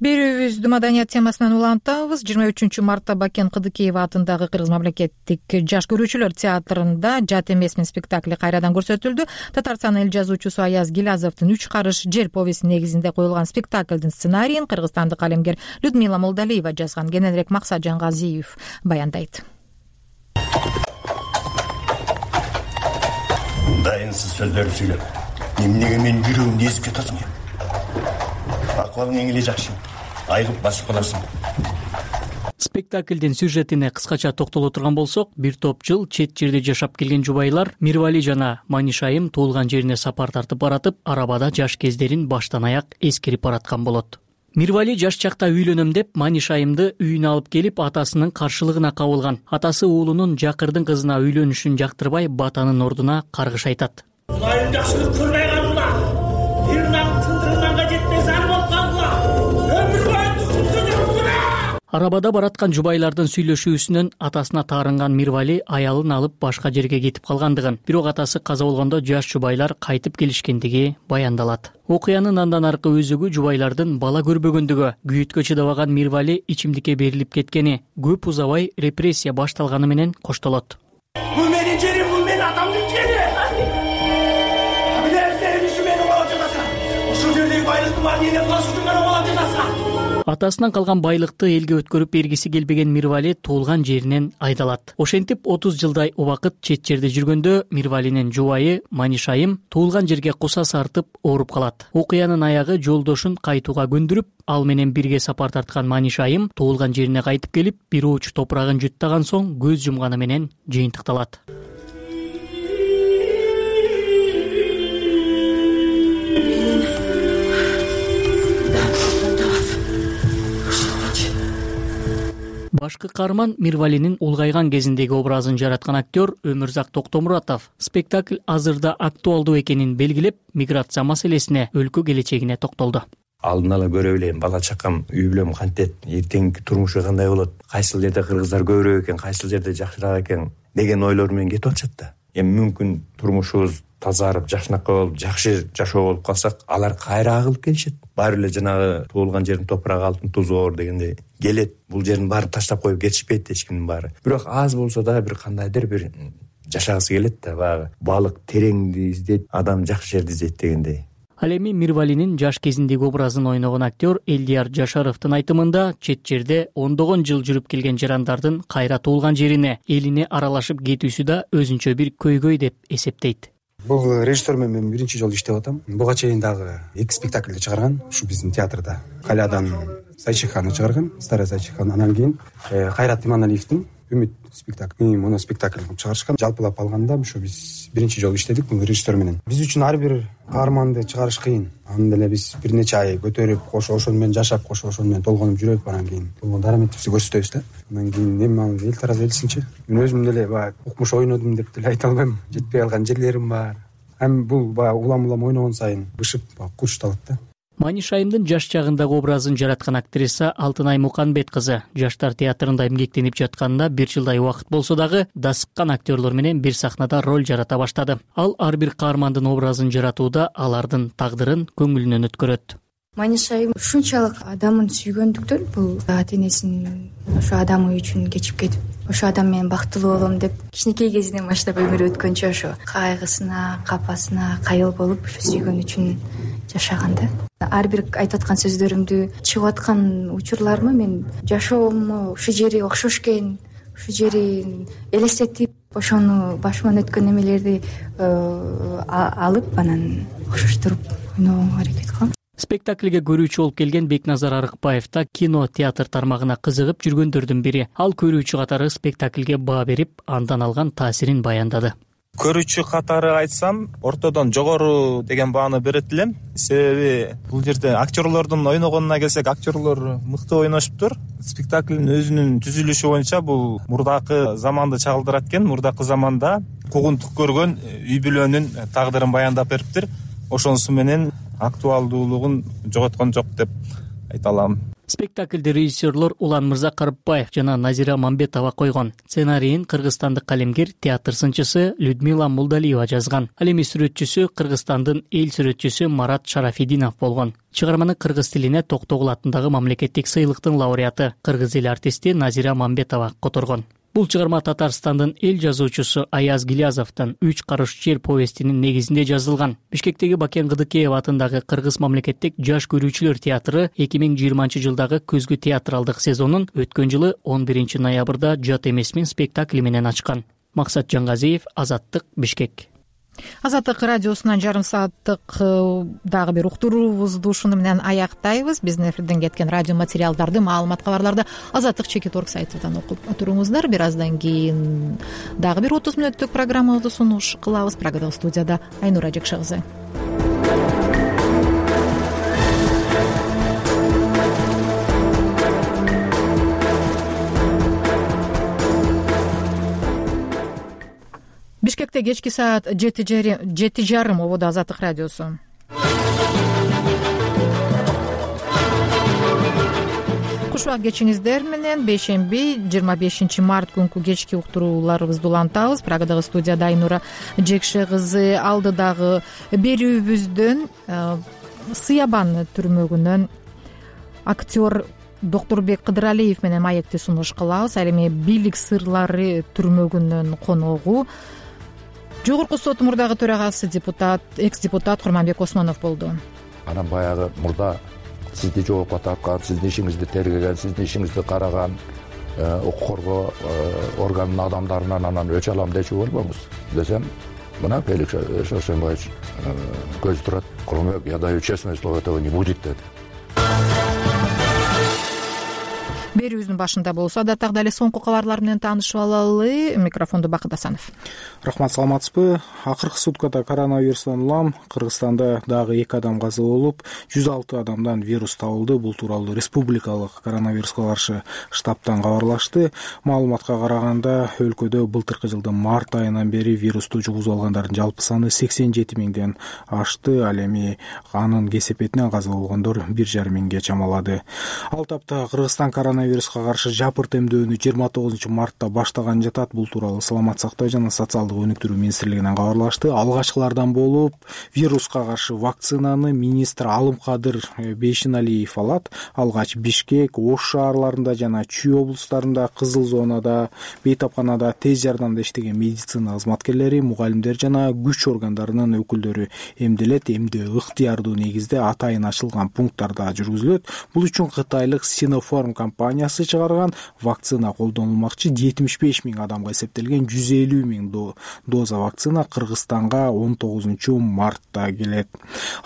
Берүүбүздү маданият темасынан улантабыз. 23 мартта Бакен Кыдыкеева атындагы Кыргыз мамлекеттик жаш көрүүчүлөр театрында «Жат эмесмин» спектакли кайрадан көрсөтүлдү. Татарстан эл жазуучусу Аяз Гилязовдун «Үч карыш жер» повести негизинде коюлган спектаклдин сценарийин кыргызстандык калемгер Людмила Молдалиева жазган. Кененирээк Максат Жангазиев баяндайт. Дайынсыз сөздөр сүйлөп, эмнеге мен жүрөгүмдү эзип жатасың? Акыбалың эң эле жакшы. Айгып басып каласың. Спектаклдин сюжетине кыскача токтоло турган болсок, бир топ жыл чет жерде жашап келген жубайлар Мирвали жана Манишайым туулган жерине сапар тартып баратып, арабада жаш кездерин баштан аяк эскерип бараткан болот. Мирвали жаш чакта үйлөнөм деп Манишайымды үйүнө алып келип, атасынын каршылыгына кабылган. Атасы уулунун жакырдын кызына үйлөнүшүн жактырбай, батанын ордуна каргыш айтат. Улайым жакшылык көрбөй калгыла. Бирнан тындырганга жетпес ар болуп калгыла. Өмүр бою тукумсуз жүргүлө. Арабада бараткан жубайлардын сүйлөшүүсүнөн атасына таарынган Мирвали аялын алып башка жерге кетип калгандыгын, бирок атасы каза болгондо жаш жубайлар кайтып келишкендиги баяндалат. Окуянын андан аркы өзөгү жубайлардын бала көрбөгөндүгү, күйүткө чыдабаган Мирвали ичимдикке берилип кеткени, көп узабай репрессия башталганы менен коштолот. Бул менин жерим, бул менин атамдын жери. Атасынан калган байлыкты элге өткөрүп бергиси келбеген Мирвали туулган жеринен айдалат. Ошентип 30 жылдай убакыт чет жерде жүргөндө Мирвалинин жубайы Манишайым туулган жерге кусас артып ооруп калат. Окуянын аягы жолдошун кайтууга көндүрүп, ал менен бирге сапар тарткан Манишайым туулган жерине кайтып келип, бир ооч топурагын жуттаган соң көз жумганы менен жыйынтыкталат. Башкы каарман Мирвалинин улгайган кезиндеги образын жараткан актер Өмүрзак Токтомуратов спектакль азырда актуалдуу экенин белгилеп, миграция маселесине, өлкө келечегине токтолду. Алдын ала көрө билем, бала чакам, үй бүлөм кантет, эртеңки турмушу кандай болот, кайсыл жерде кыргыздар көбүрөөк экен, кайсыл жерде жакшыраак экен деген ойлор менен кетип атышат да. Эми мүмкүн турмушубуз тазарып, жакшынакай болуп, жакшы жашоо болуп калсак, алар кайра агылып келишет. Баары эле жанагы туулган жердин топурагы алтын тузу оор дегендей келет. Бул жерин баары таштап коюп кетишпейт эч кимдин баары. Бирок аз болсо да бир кандайдыр бир жашагысы келет да, баягы балык тереңди издейт, адам жакшы жерди издейт дегендей. Ал эми Мирвалинин жаш кезиндеги образын ойногон актер Элдияр Жашаровдун айтымында, чет жерде ондогон жыл жүрүп келген жарандардын кайра туулган жерине, элине аралашып кетүүсү да өзүнчө бир көйгөй деп эсептейт. Бул режиссер менен мен биринчи жолу иштеп атам. Буга чейин дагы 2 спектакльди чыгарган, ушу биздин театрда. Калядан Сайчиханы чыгарган, Старая Сайчиханы, анан кийин Кайрат Иманалиевдин Үмүт спектакль, моно спектакль кылып чыгарышкан. Жалпылап алганда ушу биз биринчи жолу иштедик бул режиссер менен. Биз үчүн ар бир каарманды чыгарыш кыйын. Аны деле биз бир нече ай көтөрүп, кошо ошону менен жашап, кошо ошону менен толгонуп жүрөбүз, анан кийин болгон дараметибизди көрсөтөбүз да. Анан кийин эми ал эл тарап элсинчи. Мен өзүм деле баягы укмуш ойнодум деп деле айта албайм. Жетпей калган жерлерим бар. Эми бул баягы улам ойногон сайын бышып, курчталат да. Манишайымдын жаш чагындагы образын жараткан актриса Алтынай Муканбет кызы жаштар театрында эмгектенип жатканына 1 жылдай убакыт болсо дагы дасыккан актерлор менен бир сахнада роль жарата баштады. Ал ар бир каармандын образын жаратууда алардын тагдырын көңүлүнөн өткөрөт. Манишайым ушунчалык адамын сүйгөндүктөн бул ата-энесин ошо адамы үчүн кечип кетип, ошо адам менен бактылуу болом деп кичинекей кезинен баштап өмүрү өткөнчө ошо кайгысына, капасына кайыл болуп, ошо сүйгөн үчүн жашаган да. Ар бир айтып аткан сөздөрүмдү чыгып аткан учурларымы мен жашоому ушул жери окшош экен, ушул жерин элестетип, ошону башыман өткөн эмелерди алып, анан окшоштуруп ойногонго аракет кылам. Спектакльге көрүүчү болуп келген Бекназар Арыкбаев да кино театр тармагына кызыгып жүргөндөрдүн бири. Ал көрүүчү катары спектакльге баа берип, андан алган таасирин баяндады. Көрүүчү катары айтсам, ортодон жогору деген бааны берет элем. Себеби бул жерде актерлордун ойногонуна келсек, актерлор мыкты ойношуптур. Спектаклдин өзүнүн түзүлүшү боюнча бул мурдакы заманды чагылдырат экен. Мурдакы заманда куугунтук көргөн үй бүлөнүн тагдырын баяндап бериптир. Ошонусу менен актуалдуулугун жоготкон жок деп айта алам. Спектакльди режиссерлор Улан Мырзакарыпбаев жана Назира Мамбетова койгон. Сценарийин кыргызстандык калемгер, театр сынчысы Людмила Мулдалиева жазган. Ал эми сүрөтчүсү Кыргызстандын эл сүрөтчүсү Марат Шарафидинов болгон. Чыгарманы кыргыз тилине Токтогул атындагы мамлекеттик сыйлыктын лауреаты, кыргыз эл артисти Назира Мамбетова которгон. Бул чыгарма Татарстандын эл жазуучусу Аяз Гилязовдун 3 карыш жер повестинин негизинде жазылган. Бишкектеги Бакен Кыдыкеев атындагы Кыргыз мамлекеттик жаш көрүүчүлөр театры 2020-жылдагы көзгү театралдык сезонун өткөн жылы 11 ноябрда Жат эмесмин спектакли менен ачкан. Максат Жангазиев, Азаттык, Бишкек. Азаттык радиосунан жарым сааттык дагы бир уктуруубузду ушуну менен аяктайбыз. Биздин эфирден кеткен радио материалдарды, маалымат кабарларды Азаттык.org сайтынан окуп туруңуздар. Бир аздан кийин дагы бир 30 мүнөттүк программабызды сунуш кылабыз. Программада студияда Айнура Жекше кызы. Бишкекте кечки саат 7:30 ободо Азаттык радиосу. Кушбак кечиңиздер менен бейшемби 25 март күнкү кечки уктурууларыбызды улантабыз. Прагадагы студияда Айнура Жекше кызы. Алдыдагы берүүбүздөн Сыябан түрмөгүнөн актер Докторбек Кыдыралиев менен маекти сунуш кылабыз. Ал эми бийлик сырлары түрмөгүнүн коногу Жогорку сот мурдагы төрагасы экс-депутат Курманбек Осмонов болду. Анан баягы мурда сизди жоопко тарткан, сиздин ишиңизди тергеген, сиздин ишиңизди караган укук коргоо органынын адамдарынан анан өч алам дечү болбоңуз десем, мына Феликс Шошенбаевич көзү турат, Курманбек, я даю честное слово, этого не будет деди. Берүүбүздүн башында болсо адаттагы эле соңку кабарлар менен таанышып алалы. Микрофонду Бакыт Асанов. Рахмат, саламатсызбы? Акыркы суткада коронавирустан улам Кыргызстанда дагы 2 адам каза болуп, 106 адамдан вирус табылды. Бул тууралуу республикалык коронавируска каршы штабтан кабарлашты. Маалыматка караганда, өлкөдө былтыркы жылдын март айынан бери вирусту жугузуп алгандардын жалпы саны 87 миңден ашты. Ал эми анын кесепетинен каза болгондор 1,5 миңге чамалады. Ал тапта Кыргызстан коронавируска каршы жапырт эмдөөнү 29 мартта баштаган жатат. Бул тууралуу Саламат сактоо жана социалдык өнүктүрүү министрлигинен кабарлашты. Алгачкылардан болуп вируска каршы вакцинаны министр Алымкадыр Бейшеналиев алат. Алгач Бишкек, Ош шаарларында жана Чүй облустарында, Кызыл зонада, бейтапканада тез жардамда иштеген медицина кызматкерлери, мугалимдер жана күч органдарынын өкүлдөрү эмделет. Эмдөө ыктыярдуу негизде атайын ачылган пункттарда жүргүзүлөт. Бул үчүн кытайлык Sinopharm компаниясы чыгарган вакцина колдонулмакчы. 75 миң адамга эсептелген 150 миң доза вакцина Кыргызстанга 19 мартта келет.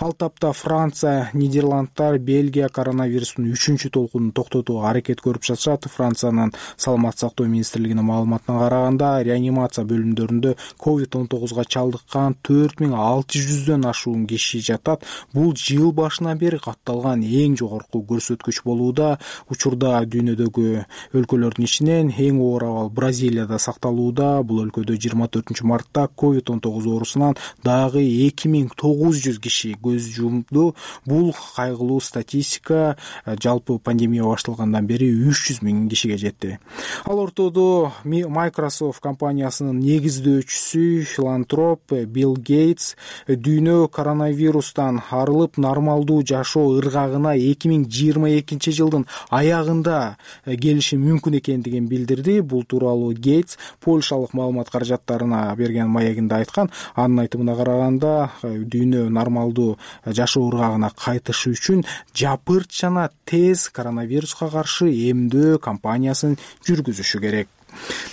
Ал тапта Франция, Нидерландтар, Бельгия коронавирустун 3-чү толкунун токтотууга аракет көрүп жатышат. Франциянын саламат сактоо министрлигинин маалыматына караганда, реанимация бөлүмдөрүндө COVID-19 чалдыккан 4600дөн ашуун киши жатат. Бул жыл башынан бери катталган эң жогорку көрсөткүч болууда. Учурда дүйнөдөгү өлкөлөрдүн ичинен эң оор абал Бразилияда сакталууда. Бул өлкөдө 24 мартта COVID-19 оорусунан дагы 2900 киши көз жумду. Бул кайгылуу статистика. Жалпы пандемия башталгандан бери 300 миң кишиге жетти. Ал ортодо Microsoft компаниясынын негиздөөчүсү филантроп Билл Гейтс дүйнө коронавирустан арылып нормалдуу жашоо ыргагына 2022 жылдын аягында келиши мүмкүн экендигин билдирди. Бул тууралуу Гейтс Польшалык маалымат каражаттарына берген маегинде айткан. Анын айтымына караганда, дүйнө нормалдуу жашоо ыргагына кайтышы үчүн жапырт жана тез коронавируска каршы эмдөө кампаниясын жүргүзүшү керек.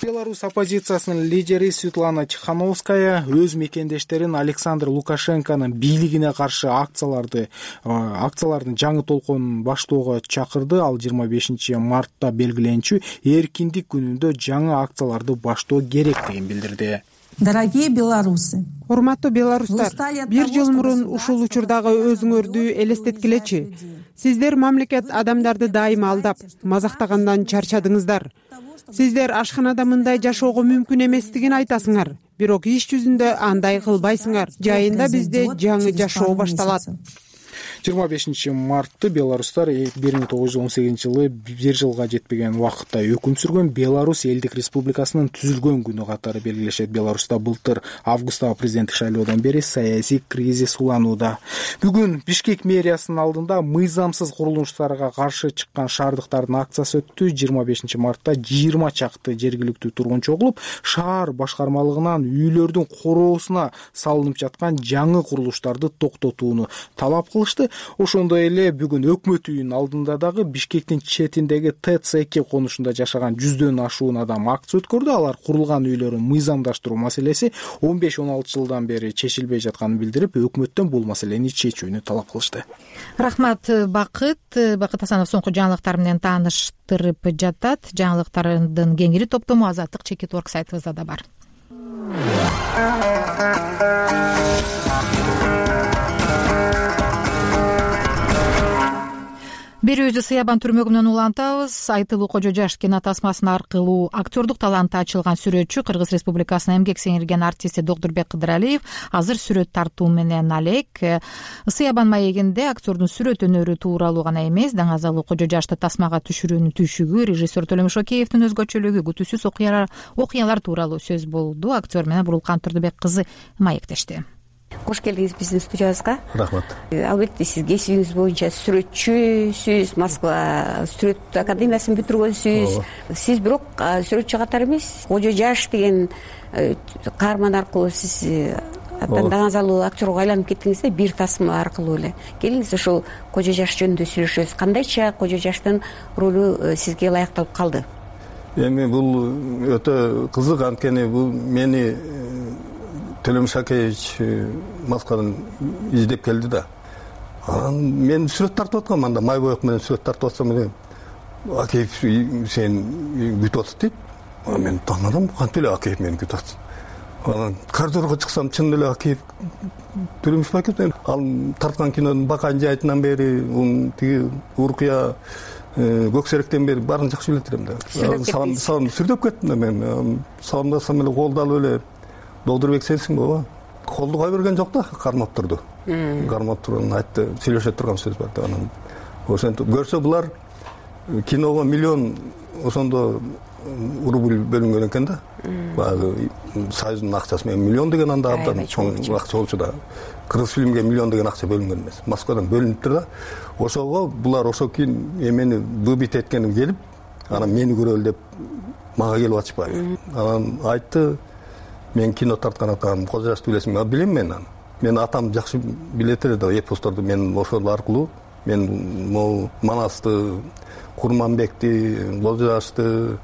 Беларусь оппозициясынын лидери Светлана Тихановская өз мекендештерин Александр Лукашенконун бийлигине каршы акциялардын жаңы толконун баштоого чакырды. Ал 25 мартта белгиленчү эркиндик күнүндө жаңы акцияларды баштоо керектигин билдирди. Дорогие белорусы, урматтуу белорустар, бир жыл мурун ушул учурдагы өзүңөрдү элестеткилечи. Сиздер мамлекет адамдарды дайыма алдап, мазактагандан чарчадыңыздар. Сиздер ашканада мындай жашоого мүмкүн эместигин айтасыңар, бирок иш жүзүндө андай кылбайсыңар. Жайында бизде жаңы жашоо башталат. 25 беларустар 1918 бир жылга жетпеген убакытта өкүм сүргөн Беларусь элдик республикасынын түзүлгөн күнү катары белгилешет. Беларуста былтыр августтагы президенттик шайлоодон бери саясий кризис уланууда. Бүгүн Бишкек мэриясынын алдында мыйзамсыз курулуштарга каршы чыккан шаардыктардын акциясы өттү. 25 мартта 20 чакты жергиликтүү тургунчу угулуп, шаар башкармалыгынан үйлөрдүн короосуна салынып жаткан жаңы курулуштарды токтотууну талап кылышты. Ошондой эле бүгүн өкмөт үйүнүн алдында дагы Бишкектин четиндеги ТЦ2 конушунда жашаган 100дөн ашуун адам акция өткөрдү. Алар курулган үйлөрүн мыйзамдаштыруу маселеси 15-16 жылдан бери чечилбей жатканын билдирип, өкмөттөн бул маселени чечүүнү талап кылышты. Рахмат, Бакыт Асанов соңку жаңылыктар менен тааныштырып жатат. Жаңылыктардын кеңири топтому Азаттык Чекит.org сайтыбызда да бар. Берүүбүздү Сыябан түрмөгүнөн улантабыз. Айтылуу Кожо Жаш кинотасмасы аркылуу актёрдук таланты ачылган сүрөтчү, Кыргыз Республикасынын эмгек сиңирген артисти Докторбек Кыдыралиев азыр сүрөт тартуу менен алек. Сыябан маегинде актёрдун сүрөт өнөрү тууралуу гана эмес, даңазалуу Кожо Жашты тасмага түшүрүүнүн түйшүгү, режиссер Төлөмүш Океевдин өзгөчөлүгү, күтүүсүз окуялар тууралуу сөз болду. Актер менен Бурулкан Турдубек кызы маектешти. Кош келдиңиз биздин студиябызга. Рахмат. Албетте сиз кесибиңиз боюнча сүрөтчүсүз, Москва сүрөт академиясын бүтүргөнсүз. Сиз бирок сүрөтчү катары эмес, Кожо Жаш деген каарман аркылуу сиз даңазалуу актёрго айланып кеттиңиз да, бир тасма аркылуу эле. Келиңиз ошол Кожо Жаш жөнүндө сүйлөшөбүз. Кандайча Кожо Жаштын ролу сизге ылайыкталып калды? Эми бул өтө кызык, анткени бул мени Төлөмүш Акеевич Москвадан издеп келди да. Мен сүрөт тартып аткам, анда май боек менен сүрөт тартып атсам эле Акеев сен күтүп атат дейт. Мен таанадым, кантип эле Акеев мени күтүп атат. Анан коридорго чыксам, чын эле Акеев Төлөмүш Акеев. Ал тарткан кинонун Бакан жайытынан бери, тиги Уркуя Көксеректен бери баарын жакшы билет элем да. Салым сүрдөп кеттим да мен. Салымдасам эле колду алып эле Докторбек сенсиң баба? Колду кой берген жок да, кармап турду. Кармап турган айтты, сүйлөшө турган сөз бар да. Анан ошентип көрсө булар киного миллион ошондо рубль бөлүнгөн экен да. Баягы Союздун акчасы менен миллион деген анда абдан чоң акча болчу да. Кыргыз фильмге миллион деген акча бөлүнгөн эмес. Москвадан бөлүнүптүр да. Ошого булар ошо кийин эмени выбит эткеним келип, анан мени көрөлү деп мага келип ачпайбы. Анан айтты, мен кино тарткан атам, Кожо Жашты билесиңби? Билем мен аны. Мен атам жакшы билет эле да, эпосторду. Мен ошол аркылуу мен могу Манасты, Курманбекти, Кожо Жашты,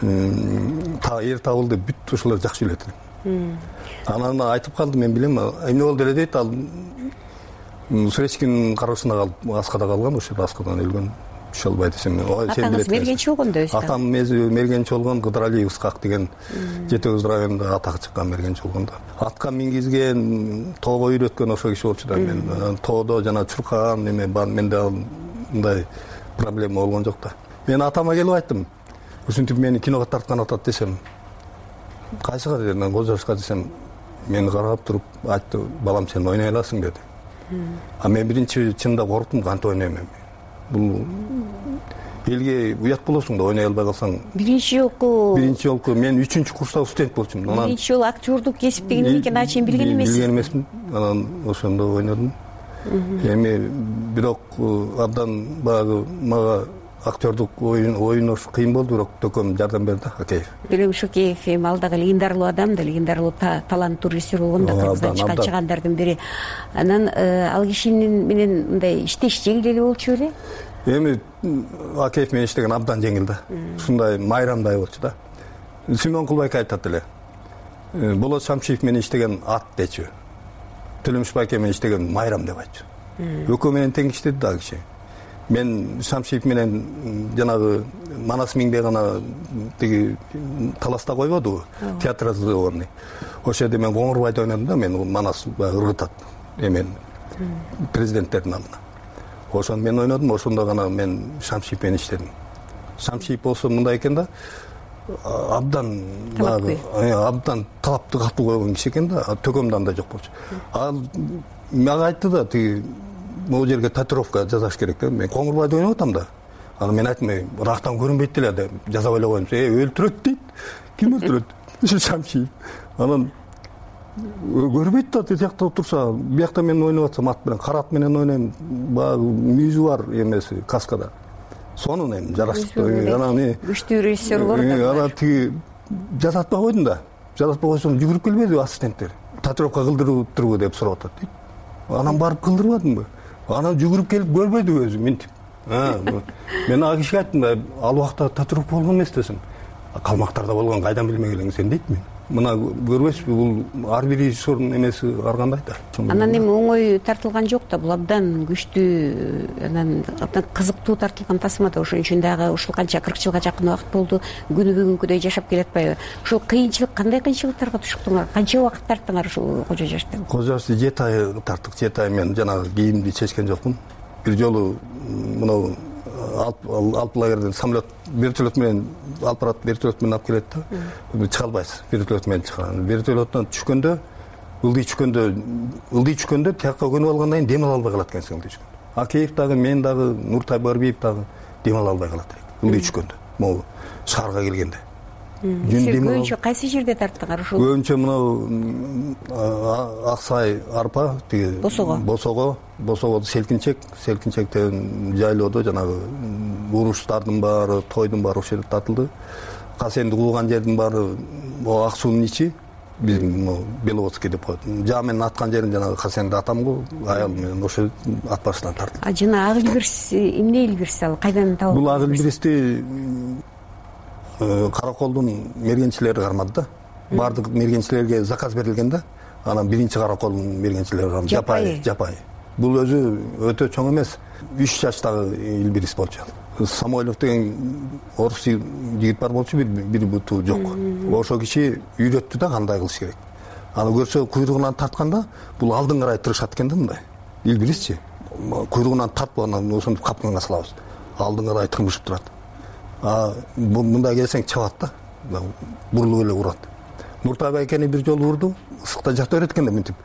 Эр Табылды бүт ошолор жакшы билет элем. Анан айтып калды, мен билем, эмне болду эле дейт, ал Суречкинин кароосуна калып, Аскада калган, ошол Аскадан өлгөн. Шалбай десем, сен билет. Мергенчи болгондо өзү. Атам мергенчи болгон, Кыдыралиев Ысқақ деген Жетекөз районунда атак чыккан мергенчи болгондо. Атка мингизген, тоого үйрөткөн ошол киши болчу да. Мен тоодо жана чуркаган эме бар, менде мындай проблема болгон жок да. Мен атама келип айттым. Ушинтип мени киного тарткан атат десем, кайсыга дедим, мен Кожо Жашка десем, мени карап туруп айтты, балам сен ойной аласың деди. А мен биринчи чында корктум, кантип ойнойм эми. Бул элге уят болосуң да, ойной албай калсаң. Биринчи жолку мен 3-чү курстагы студент болчумун. Биринчи жолу актёрдук кесип деген эмне экенин ачейин билген эмессиз. Билген эмесмин. Анан ошондо ойнодум. Эми бирок абдан багы мага актёрдук ойнош кыйын болду, бирок төкөм жардам берди, Акеев. Төлөмүш Океев эми ал дагы легендарлуу адам да, легендарлуу таланттуу режиссер болгон да, Кыргыздан чыккан чыгандардын бири. Анан ал кишинин менен мындай иштеш жеңил эле болчу беле? Эми Акеев менен иштеген абдан жеңил да. Ушундай майрамдай болчу да. Симон Кулбайка айтат эле. Болот Шамшиев менен иштеген ат дечү. Төлөмүш Байке менен иштеген майрам деп айтчу. Экөө менен тең иштеди да киши. Мен Шамшиев менен жанагы Манас миңде гана тиги таласта койбодубу, театр разговорный. Ошол жерде мен Коңурбайды ойнодум да, мен Манас ыргытат эмен президенттердин алдына. Ошону мен ойнодум, ошондо гана мен Шамшиев менен иштедим. Шамшиев болсо мындай экен да, абдан талапты катуу койгон киши экен да, төкөмдө андай жок болчу. Ал мага айтты да, тиги могу жерге татуировка жасаш керек да. Мен Коңурбайды ойноп атам да. Анан мен айттым, ырактан көрүнбөйт деле деп жасап эле коем. Өлтүрөт дейт. Ким өлтүрөт? Шамшиев. Анан көрбөйт да тиякта отурса, биякта мен ойноп атсам ат менен, кара ат менен ойнойм. Баягы мүйүзү бар эмеси каскада. Сонун эми жараштык. Анан күчтүү режиссерлор да. Анан тиги жасатпай койдум да. Жасатпай койсом жүгүрүп келбеди ассистенттер. Татуировка кылдырыптырбы деп сурап атат дейт. Анан барып кылдырбадымбы? Анан жүгүрүп келип көрбөдү өзү мынтип. Мен ага кишиге айттым да, ал убакта татуировка болгон эмес десем. Калмактарда болгон кайдан билмек элең сен дейт мен. Мына көрбөйсүзбү, бул ар бир режиссердун эмеси ар кандай да. Анан эми оңой тартылган жок да, бул абдан күчтүү, анан абдан кызыктуу тартылган тасма да. Ошон үчүн дагы ушул канча 40 жылга жакын убакыт болду, күнү бүгүнкүдөй жашап келатпайбы? Ушул кыйынчылык, кандай кыйынчылыктарга туштуңар? Канча убакыт тарттыңар ушул Кожо Жашты? Кожо Жашты 7 ай тарттык. 7 ай мен жанагы кийимди чечкен жокмун. Бир жолу мына алып лагерден самолет, вертолет менен алып барат, вертолет менен алып келет да. Чыга албайсыз, вертолет менен чыган. Вертолеттон түшкөндө, ылдый түшкөндө тиякка көнүп алгандан кийин дем ала албай калат экенсиң ылдый түшкөндө. Акеев дагы, мен дагы, Нуртай Барбиев дагы дем ала албай калат ылдый түшкөндө. Могу шаарга келгенде. Көбүнчө кайсы жерде тарттыңар ушул? Көбүнчө мына Аксай арпа, тиги Босого селкинчектен жайлоодо жанагы уруштардын баары, тойдун баары ошол жерде тартылды. Касенди кууган жердин баары Ак суунун ичи, биздин Беловодский деп коет. Жаа менен аткан жерин жанагы Касенди атам го, аялым менен ошол ат башынан тартылды. Жана ак илбирс, эмне илбирс ал? Кайдан табып? Бул ак илбирсти Караколдун мергенчилери кармады да. Бардык мергенчилерге заказ берилген да. Анан биринчи Караколдун мергенчилери кармады. Жапай. Бул өзү өтө чоң эмес. 3 жаштагы илбирис болчу. Самойлов деген орус жигит бар болчу, бир буту жок. Ошол киши үйрөттү да кандай кылыш керек. Аны көрсө куйругунан тартканда бул алдын карай тырышат экен да мындай. Илбирисчи. Куйругунан тартып анан ошентип капканга салабыз. Алдын карай тырмышып турат. Мындай келсең чабат да. Бурулуп эле урат. Нуртай байкени бир жолу урду, ысыкта жата берет экен да мынтип.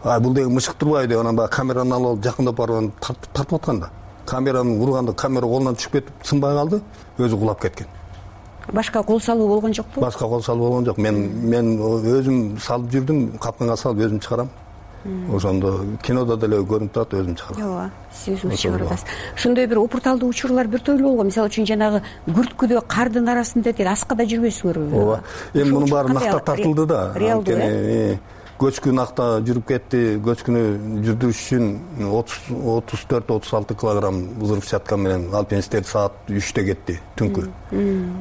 Бул деген мышык турбайбы деп анан баягы камераны алып жакындап барып тартып атканда. Камераны урганда камера колунан түшүп кетип, сынбай калды, өзү кулап кеткен. Башка кол салуу болгон жокпу? Башка кол салуу болгон жок. Мен өзүм салып жүрдүм, капканга салып өзүм чыгарам. Ошондо кинодо деле көрүнүп турат, өзүм чыгарам. Ооба, сиз өзүңүз чыгарып атасыз. Ошондой бир опурталдуу учурлар бир тойлуу болгон. Мисалы үчүн жанагы күрткүдө кардын арасында тиги аскада жүрбөйсүңөрбү? Ооба. Эми мунун баары накта тартылды да. Анткени көчкү накта жүрүп кетти. Көчкүнү жүрдүрүш үчүн 34-36 килограмм взрывчатка менен алпинисттер саат 3-тө кетти түнкү.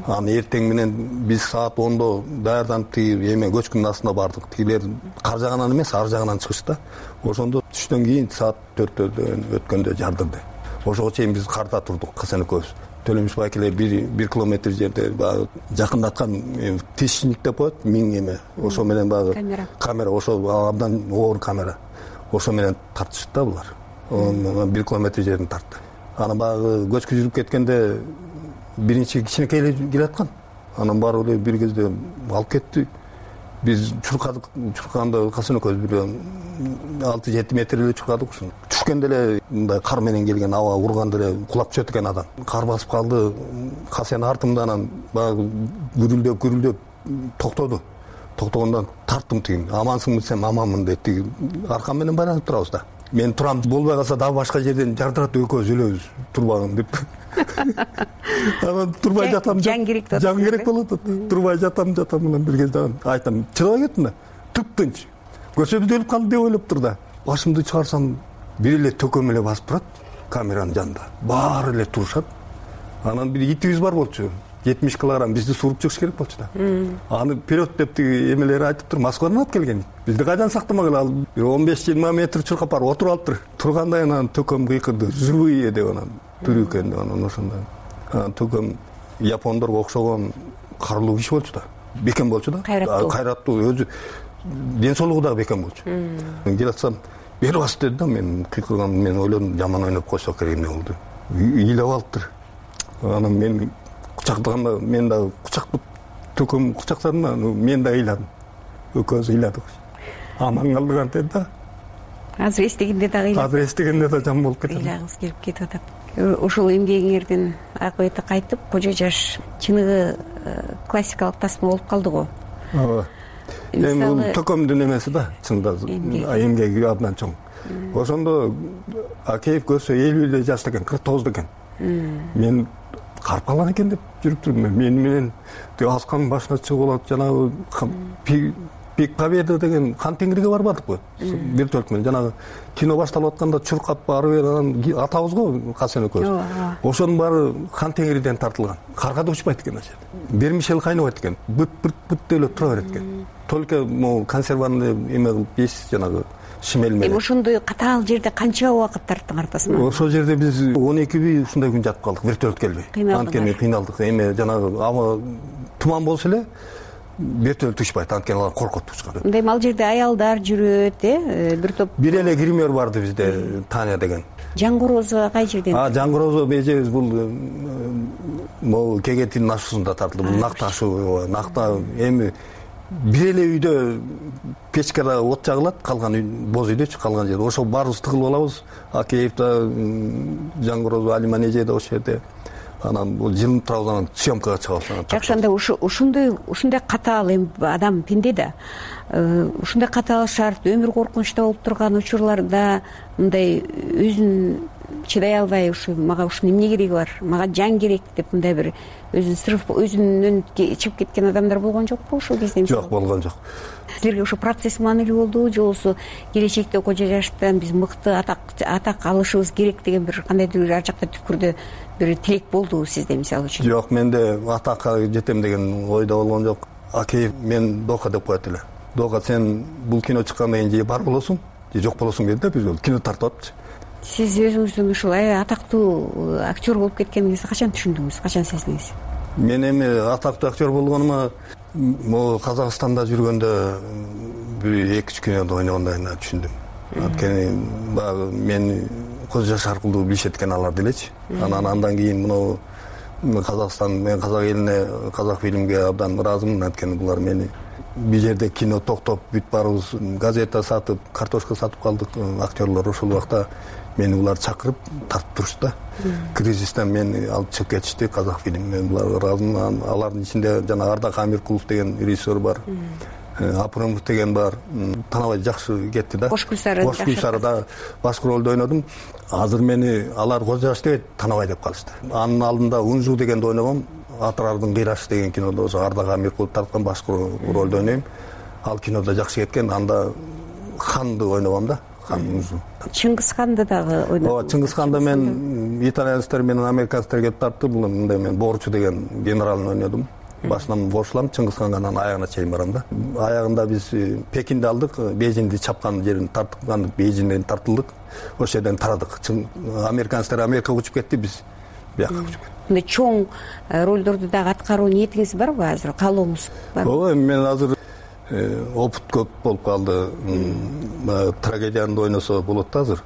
Аны эртең менен биз саат 10-до даярданып тиги эме көчкүнүн астына бардык. Тигилер кар жагынан эмес, ар жагынан чыгышты. Ошондо түштөн кийин саат 4-төн өткөндө жардырды. Ошого чейин биз карда турдук, Касен экөөбүз. Төлөмүш байкелер 1 километр жерде баягы жакындаткан тишник деп коет, миң эме. Ошо менен баягы камера, ошо абдан оор камера. Ошо менен тартышты да булар. 1 километр жерден тартты. Анан баягы көчкү жүрүп кеткенде биринчи кичинекей эле келаткан. Анан барып эле бир кезде алып кетти. Биз чурканды Касен экөөбүз бир 6-7 метр эле чуркадык ушуну. Түшкөндө эле мындай кар менен келген аба урганда эле кулап түшөт экен адам. Кар басып калды. Касен артымдан баягы гүрүлдөп токтоду. Токтогондон тарттым тиги. Амансыңбы десем, аманмын дейт. Тиги аркам менен байланып турабыз да. Мен турам, болбой калса дагы башка жерден жардырат, экөөбүз өлөбүз. Турбагын деп. Анан турбай жатам. Жан керек болот. Турбай жатам анан бир кезде айтам, чыдабай кеттим да. Тып-тынч. Көрсөбүз өлүп калды деп ойлоп тур да. Башымды чыгарсам бир эле төкөм эле басып турат камеранын жанында. Баары эле турушат. Анан бир итибиз бар болчу. 70 килограмм бизди сууруп чыгыш керек болчу да. Аны вперед деп тиги эмелери айтып тур, Москвадан алып келген. Бизди кайдан сактамагыла, ал 15-20 метр чуркап барып отуруп алыптыр. Тургандай анан төкөм кыйкырды, живые деп анан тирүү экен деп анан ошондой. Төкөм япондорго окшогон карлуу киши болчу да. Бекем болчу да. Кайраттуу, өзү ден соолугу дагы бекем болчу. Келатсам, бери бас деди да, мен кыйкырган, мен ойлодум жаман ойноп койсок керек эмне болду. Ыйлап алыптыр. Анан мен кучактаганда мен дагы кучактап төкөм кучактадым да, мен да ыйладым. Экөөбүз ыйладык. Аман калдык антет да. азыр эстегенде дагы жам болуп кетет, ыйлагыңыз келип кетип атат. Ушул эмгегиңердин акыбети кайтып, кожо жаш чыныгы классикалык тасма болуп калды го. Ооба. Эми бул төкөмдүн эмеси да, чында эмгеги абдан чоң. Ошондо Акеев көрсө 50 жашта экен, 49 экен. Мен карып калган экен деп жүрүп турдум. Мен менен асканын башына чыгып алат, жанагы Пик Победа деген хан теңирге барбадыкпы? Вертолет менен жанагы кино башталып атканда чуркап барып анан атабыз го Хасен экөөбүз. Ошонун баары хан теңирден тартылган. Каргада учпайт экен ошо. Бермишел кайнабайт экен. Бүт эле тура берет экен. Только могу консерваны эме кылып ес жанагы шимел менен. Ошондой катаал жерде канча убакыт тарттыңар тасманы? Ошол жерде биз 12 үй ушундай күн жатып калдык, вертолет келбей. Анткени кыйналдык. Эме жанагы аба туман болсо эле вертолет учпайт, анткени алар коркот учкан. Мындай ал жерде аялдар жүрөт, бир топ. Бир эле гример барды бизде, Таня деген. Жаңгороозго кай жерден? Жаңгороозго бежебиз бул могу Кегетинин ашуусунда тартылды. Бул накта ашуу, накта эми бир эле үйдө печкада от жагылат, калган үй боз үйдөчү, калган жерде. Ошо баарыбыз тыгылып алабыз. Акеев да, Жаңгороозго, Алиманеже да ошол жерде. Анан бул жылынып турабыз, анан съемкага чыгабыз. Жакшы, анда ушундай катаал эми адам пенде да. Ушундай катаал шарт, өмүр коркунучта болуп турган учурларда мындай өзүн чыдай албай, ушу мага ушунун эмне кереги бар, мага жан керек деп мындай бир өзүн сырып, өзүнөн чыгып кеткен адамдар болгон жокпу ушул кезде? Жок, болгон жок. Силерге ошо процесс маанилүү болдубу, же болбосо келечекте кожо жаштан биз мыкты атак алышыбыз керек деген бир кандайдыр ар жакта түпкүрдө бир тилек болдубу сизде мисалы үчүн? Жок, менде атакка жетем деген ойдо болгон жок. Акеев мен Дока деп коет эле. Дока, сен бул кино чыккандан кийин же бар болосуң, же жок болосуң деди да, бир кино тартып атчы. Сиз өзүңүздүн ушул атактуу актер болуп кеткениңизди качан түшүндүңүз, качан сездиңиз? Мен эми атактуу актер болгонума могу Казакстанда жүргөндө бир 2-3 кинода ойногондо түшүндүм. Анткени баягы мен көз жаш аркылуу билишет экен алар делечи. Андан кийин мына Казакстан, мен казак элине, казак фильмге абдан ыраазымын. Анткени булар мени бир жерде кино токтоп, бүт баарыбыз газета сатып, картошка сатып калдык. Актерлор ошол убакта мени булар чакырып тартып турушты да. Кризистен мени алып чыгып кетишти, казак фильм. Мен буларга ыраазымын. Алардын ичинде жана Ардак Амиркулов деген режиссер бар. Апрымов деген бар. Танабай жакшы кетти да. Кош Гүлсарыда башкы ролдо ойнодум. Азыр мени алар кожо жаш дебейт, Танабай деп калышты. Анын алдында Унжу дегенде ойногом. Атырардын кыйрашы деген кинодо ошо Ардак Амиркулов тарткан башкы ролдо ойнойм. Ал кинодо жакшы кеткен. Анда ханды ойногом да. Чыңгыз ханды дагы ойнодум. Ооба, Чыңгыз ханды мен итальянецтер менен американецтер келип тартты. Бул мындай мен Борчу деген генералын ойнодум. Башынан кошулам, Чыңгыз ханга анан аягына чейин барам да. Аягында биз Пекинди алдык, Бейжиңди чапкан жерин тартып, Бейжиңден тартылдык. Ошол жерден тарадык. Американецтер Америкага учуп кетти, биз бияка учуп кеттик. Мындай чоң ролдорду дагы аткаруу ниетиңиз барбы азыр? Каалооңуз барбы? Ооба, мен азыр опыт көп болуп калды. Трагедияны ойносо болот да азыр.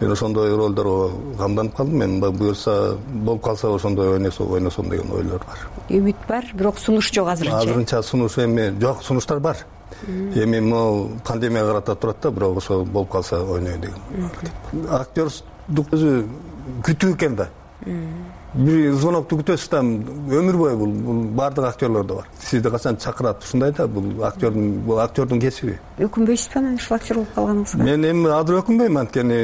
Мен ошондой ролдорго камданып калдым. Мен буюрса болуп калса ошондой ойносом деген ойлор бар. Үмүт бар, бирок сунуш жок азырынча. Азырынча сунуш эми жок, сунуштар бар. Эми могу пандемия карата турат да, бирок ошо болуп калса ойнойм деген. Актердук өзү күтүү экен да. Бир звонокту күтөсүз да, өмүр бою бул баардык актерлордо бар. Сизди качан чакырат, ушундай да, бул актердун кесиби. Өкүнбөйсүзбү анан ушул актер болуп калганыңызга? Мен эми азыр өкүнбөйм, анткени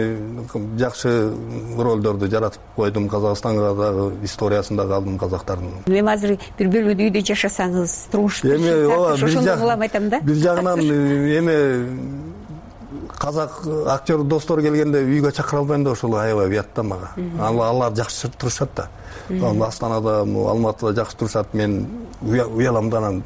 жакшы ролдорду жаратып койдум. Казакстанга дагы историясында калдым казактардын. Эми азыр бир бөлмөдө үйдө жашасаңыз, турмуш ошондой кылам айтам да. Бир жагынан эми казак актер достор келгенде үйгө чакыра албайм да, ошол аябай уят да мага. Алар жакшы турушат да. Астанада, Алматыда жакшы турушат. Мен уялам да, анан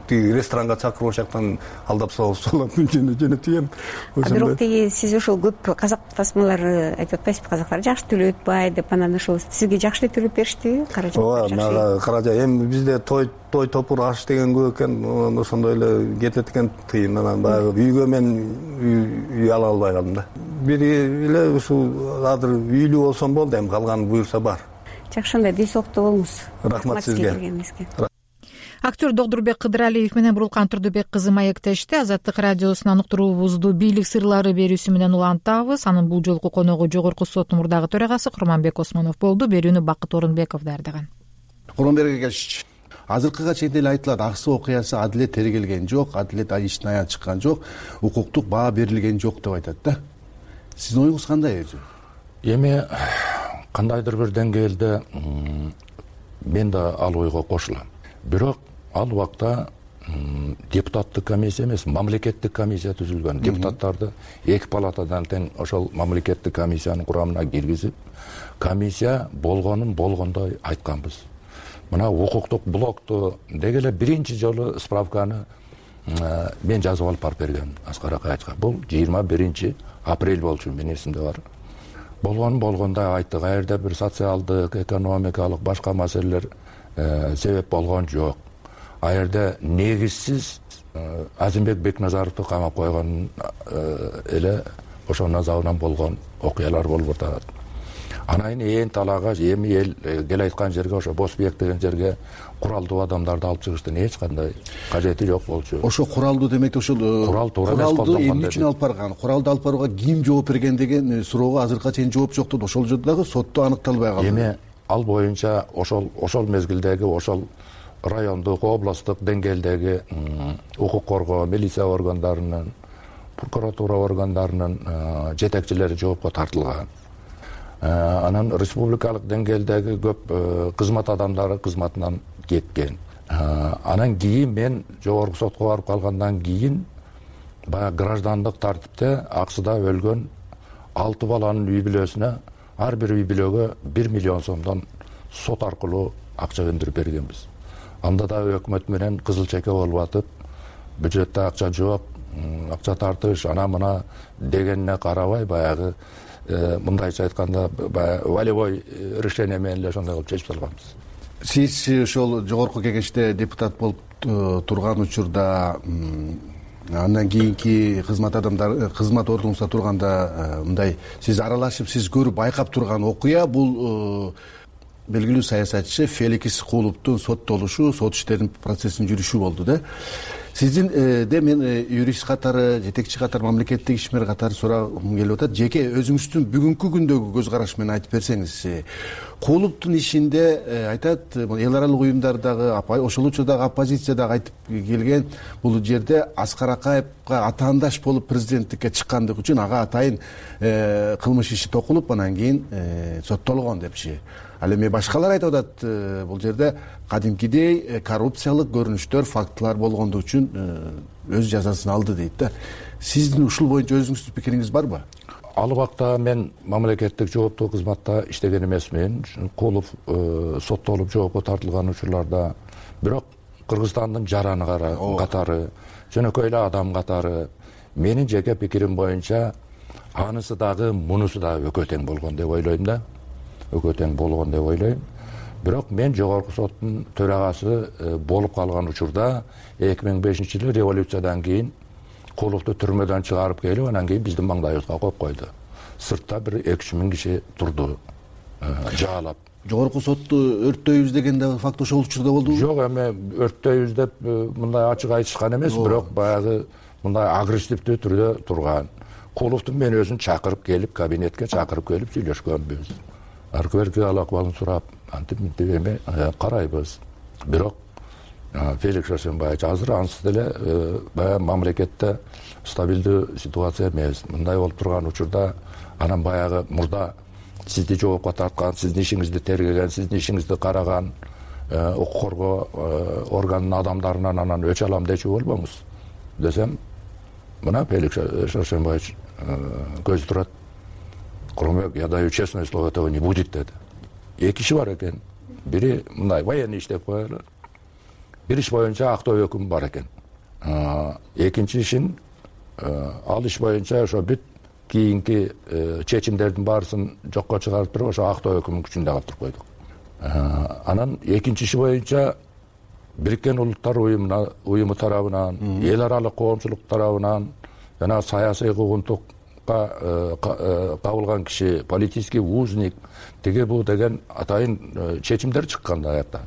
тиги ресторанга чакырып ошол жактан алдап соолап жөнөтөйм. Бирок тиги сиз ошол көп казак тасмалары айтып атпайсызбы, казактар жакшы төлөп атпай деп, анан ошол сизге жакшы эле төлөп бериштиби? Каражат жакшы. Ооба, мага каражат. Эми бизде той топур аш деген көп экен, ошондой эле кетет экен тыйын. Анан баягы үйгө мен үй ала албай калдым да. Бир эле ушул азыр үйлүү болсом болду, эми калганы буюрса бар. Жакшы, анда дей соолукта болуңуз. Рахмат сизге. Актер Догдурбек Кыдыралиев менен Бурулкан Турдубек кызы маектешти. Азаттык радиосунун уктуруубузду бийлик сырлары берүүсү менен улантабыз. Анын бул жолку коногу Жогорку соттун мурдагы төрагасы Курманбек Осмонов болду. Берүүнү Бакыт Орунбеков даярдаган. Курманбек келишичи. Азыркыга чейин эле айтылат, аксы окуясы адилет тергелген жок, адилет иштин аян чыккан жок, укуктук баа берилген жок деп айтат да. Сиздин оюңуз кандай өзү? Эми кандайдыр бир деңгээлде мен да ал ойго кошулам. Бирок ал убакта депутаттык комиссия эмес, мамлекеттик комиссия түзүлгөн. Депутаттарды эки палатадан тең ошол мамлекеттик комиссиянын курамына киргизип, комиссия болгонун болгондой айтканбыз. Мына укуктук блокту деги эле биринчи жолу справканы мен жазып алып барып бергем Аскар Акаевичке. Бул 21 апрель болчу, менин эсимде бар. Болгонун болгондой айттык. Аерде бир социалдык, экономикалык башка маселелер себеп болгон жок. Аерде негизсиз Азимбек Бекназаровду камап койгон эле ошол назабынан болгон окуялар болуп атат. Анан ээн талаага эми эл кел айткан жерге, ошо Босбек деген жерге куралдуу адамдарды алып чыгыштын эч кандай кажети жок болчу. Ошо куралдуу демек ошол куралды эмне үчүн алып барган, куралды алып барууга ким жооп берген деген суроого азыркыга чейин жооп жок деп ошол жерде дагы сотто аныкталбай калды. Эми ал боюнча ошол мезгилдеги ошол райондук, областтык деңгээлдеги укук коргоо, милиция органдарынын, прокуратура органдарынын жетекчилери жоопко тартылган. Анан республикалык деңгээлдеги көп кызмат адамдары кызматынан кеткен. Анан кийин мен жогорку сотко барып калгандан кийин баягы граждандык тартипте аксыда өлгөн 6 баланын үй бүлөсүнө ар бир үй бүлөгө 1 миллион сомдон сот аркылуу акча өндүрүп бергенбиз. Анда да өкмөт менен кызыл чеке болуп атып, бюджетте акча жок, акча тартыш, ана мына дегенине карабай баягы мындайча айтканда волевой решение менен эле ошондой кылып чечип алганбыз. Сиз ошол жогорку кеңеште депутат болуп турган учурда андан кийинки кызмат адамдар кызмат ордуңузда турганда мындай сиз аралашып, сиз көрүп байкап турган окуя бул белгилүү саясатчы Феликс Кулуптун соттолушу, сот иштеринин процессинин жүрүшү болду да. Сиздин мен юрист катары, жетекчи катары, мамлекеттик ишмер катары сурагым келип атат. Жеке өзүңүздүн бүгүнкү күндөгү көз караш менен айтып берсеңиз. Кулуптун ишинде айтат, эл аралык уюмдардагы, ошол учурдагы оппозициядагы айтып келген, бул жерде Аскар Акаевга атаандаш болуп президенттикке чыккандык үчүн ага атайын кылмыш иши токулуп, анан кийин соттолгон депчи. Ал эми башкалар айтып атат, бул жерде кадимкидей коррупциялык көрүнүштөр, фактылар болгондугу үчүн өз жазасын алды дейт да. Сиздин ушул боюнча өзүңүздүн пикириңиз барбы? Ал убакта мен мамлекеттик жооптуу кызматта иштеген эмесмин. Кулов соттолуп жоопко тартылган учурларда, бирок Кыргызстандын жараны катары, жөнөкөй эле адам катары менин жеке пикирим боюнча анысы дагы мунусу дагы экөө тең болгон деп ойлойм да. Экөө тең болгон деп ойлойм. Бирок мен жогорку соттун төрагасы болуп калган учурда 2005-жылы революциядан кийин Куловду түрмөдөн чыгарып келип, анан кийин биздин маңдайыбызга коюп койду. Сыртта бир 2-3 миң киши турду, жаалап. Жогорку сотту өрттөйбүз деген да факт ошол учурда болдубу? Жок, эми өрттөйбүз деп мындай ачык айтышкан эмес, бирок баягы мындай агрессивдүү түрдө турган. Куловду мен өзүн чакырып келип, кабинетке чакырып келип сүйлөшкөнбүз. Аркыберги акыбалын сурап, антип эми карайбыз. Бирок Феликс Шашенбаевич азыр ансыз деле баягы мамлекетте стабилдүү ситуация эмес. Мындай болуп турган учурда анан баягы мурда сизди жоопко тарткан, сиздин ишиңизди тергеген, сиздин ишиңизди караган укук коргоо органынын адамдарынан анан өч алам дечү болбоңуз десем, мына Феликс Шашенбаевич көзү турат. Курманбек, я даю честное слово, этого не будет деди. Эки иши бар экен. Бири мындай военный иштеп коелу. Бир иш боюнча актоо өкүм бар экен. Экинчи ишин ал иш боюнча ошо бүт кийинки чечимдердин баарысын жокко чыгарып туруп, ошо актоо өкүмүн күчүндө калтырып койдук. Анан экинчи иши боюнча Бириккен Улуттар уюму тарабынан, эл аралык коомчулук тарабынан жана саясий куугунтукка кабылган киши, политический узник, тиги бул деген атайын чечимдер чыккан аякта.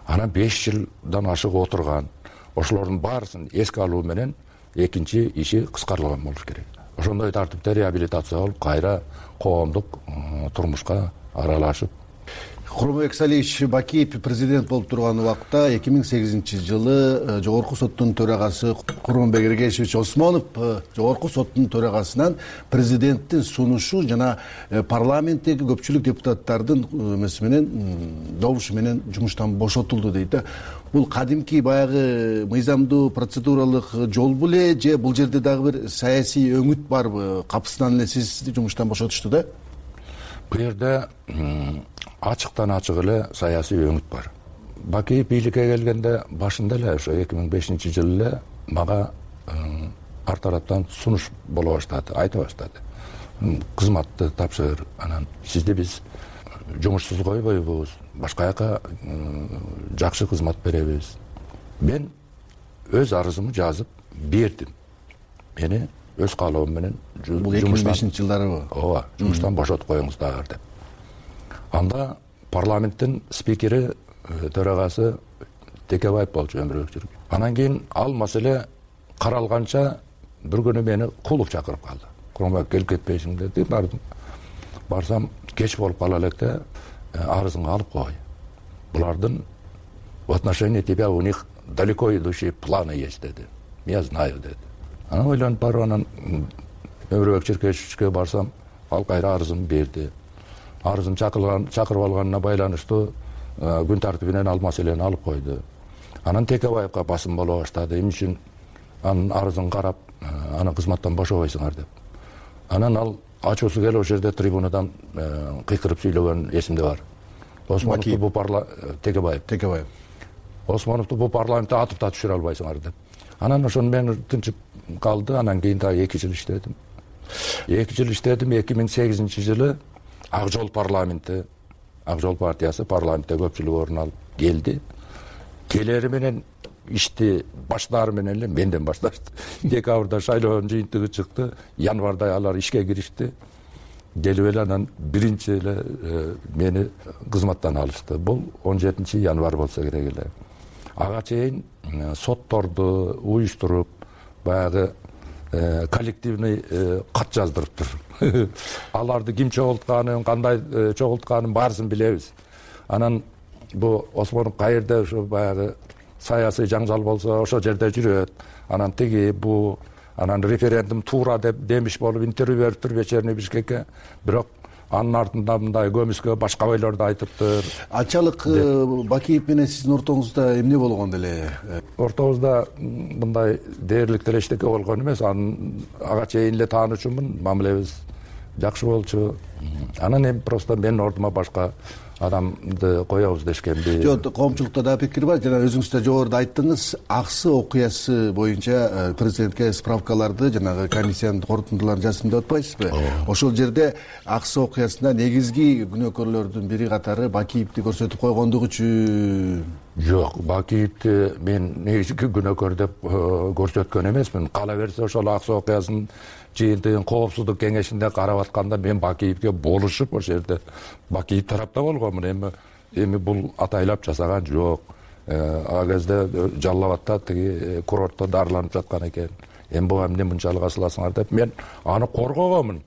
анан 5 жылдан ашык отурган ошолордун баарысын эске алуу менен экинчи иши кыскартылган болуш керек. Ошондой тартипте реабилитация болуп кайра коомдук турмушка аралашып. Курманбек Салиевич Бакиев президент болуп турган убакта 2008-жылы Жогорку соттун төрагасы Курманбек Эргешевич Осмонов Жогорку соттун төрагасынан президенттин сунушу жана парламенттеги көпчүлүк депутаттардын эмеси менен добушу менен жумуштан бошотулду дейт да. Бул кадимки баягы мыйзамдуу процедуралык жол беле же бул жерде дагы бир саясий өңүт барбы? Капысынан эле сизди жумуштан бошотушту да? Бул жерде ачыктан ачык эле саясий өңүт бар. Бакиев бийликке келгенде башында эле ошо 2005-жылы эле мага ар тараптан сунуш боло баштады, айта баштады. Кызматты тапшыр, анан сизди биз жумушсуз койбойбуз, башка жака жакшы кызмат беребиз. Мен өз арызымды жазып бердим. Мени өз каалоом менен бул 2005-жылдарыбы? Ооба, жумуштан бошотуп коюңуздар деп. Анда парламенттин спикери төрагасы Текебаев болчу өмүрбек жүргөн. Анан кийин ал маселе каралганча бир күнү мени Кулов чакырып калды. Курманбек келип кетпейсиң деди. Барсам кеч болуп кала электе арызыңды алып кой. Булардын в отношении тебя у них далеко идущие планы есть деди. Я знаю деди. Анан ойлонуп барып анан өмүрбек Черкешевичке барсам, ал кайра арызын берди. Арызын чакырып алганына байланыштуу күн тартибинен ал маселени алып койду. Анан Текебаевка басым боло баштады. Эмне үчүн анын арызын карап, аны кызматтан бошобойсуңар деп. Анан ал ачуусу келип ошол жерде трибунадан кыйкырып сүйлөгөн эсимде бар. Осмоновду бул Текебаев. Осмоновду бул парламентте атып да түшүрө албайсыңар деп. Анан ошону мен тынчып калды. Анан кийин дагы 2 жыл иштедим. 2 жыл иштедим. 2008-жылы Ак жол парламенти, Ак жол партиясы парламентте көпчүлүк орун алып келди. Келери менен ишти баштаары менен эле менден башташты. Декабрда шайлоонун жыйынтыгы чыкты. Январда алар ишке киришти. Келип эле анан биринчи эле мени кызматтан алышты. Бул 17-январь болсо керек эле. Ага чейин сотторду уюштуруп, баягы коллективный кат жаздырыптыр. Аларды ким чогултканын, кандай чогултканын баарысын билебиз. Анан бу Осмонов кайерде ошо баягы саясий жаңжал болсо ошол жерде жүрөт. Анан тиги бу анан референдум туура деп демиш болуп интервью бериптир вечерний Бишкекке. Бирок анын артында мындай көмүскө башка ойлорду айтыптыр. Анчалык Бакиев менен сиздин ортоңузда эмне болгон эле? Ортобузда мындай дээрлик деле эчтеке болгон эмес. Ага чейин эле таанычумун, мамилебиз жакшы болчу. Анан эми просто менин ордума башка адамды коебуз дешкенби? Жок, коомчулукта да пикир бар. Жана өзүңүз да жогоруда айттыңыз, Аксы окуясы боюнча президентке справкаларды, жанагы комиссиянын корутундуларын жаздым деп атпайсызбы? Ошол жерде Аксы окуясында негизги күнөөкөрлөрдүн бири катары Бакиевди көрсөтүп койгондугу үчүн. Жок, Бакиевди мен негизги күнөөкөр деп көрсөткөн эмесмин. Кала берсе ошол Аксы окуясынын жыйынтыгын коопсуздук кеңешинде карап атканда мен Бакиевге болушуп ошол жерде Бакиев тарапта болгонмун. Эми бул атайлап жасаган жок. Ал кезде Жалал Абадта тиги курортто дарыланып жаткан экен. Эми буга эмне мынчалык асыласыңар деп мен аны коргогонмун.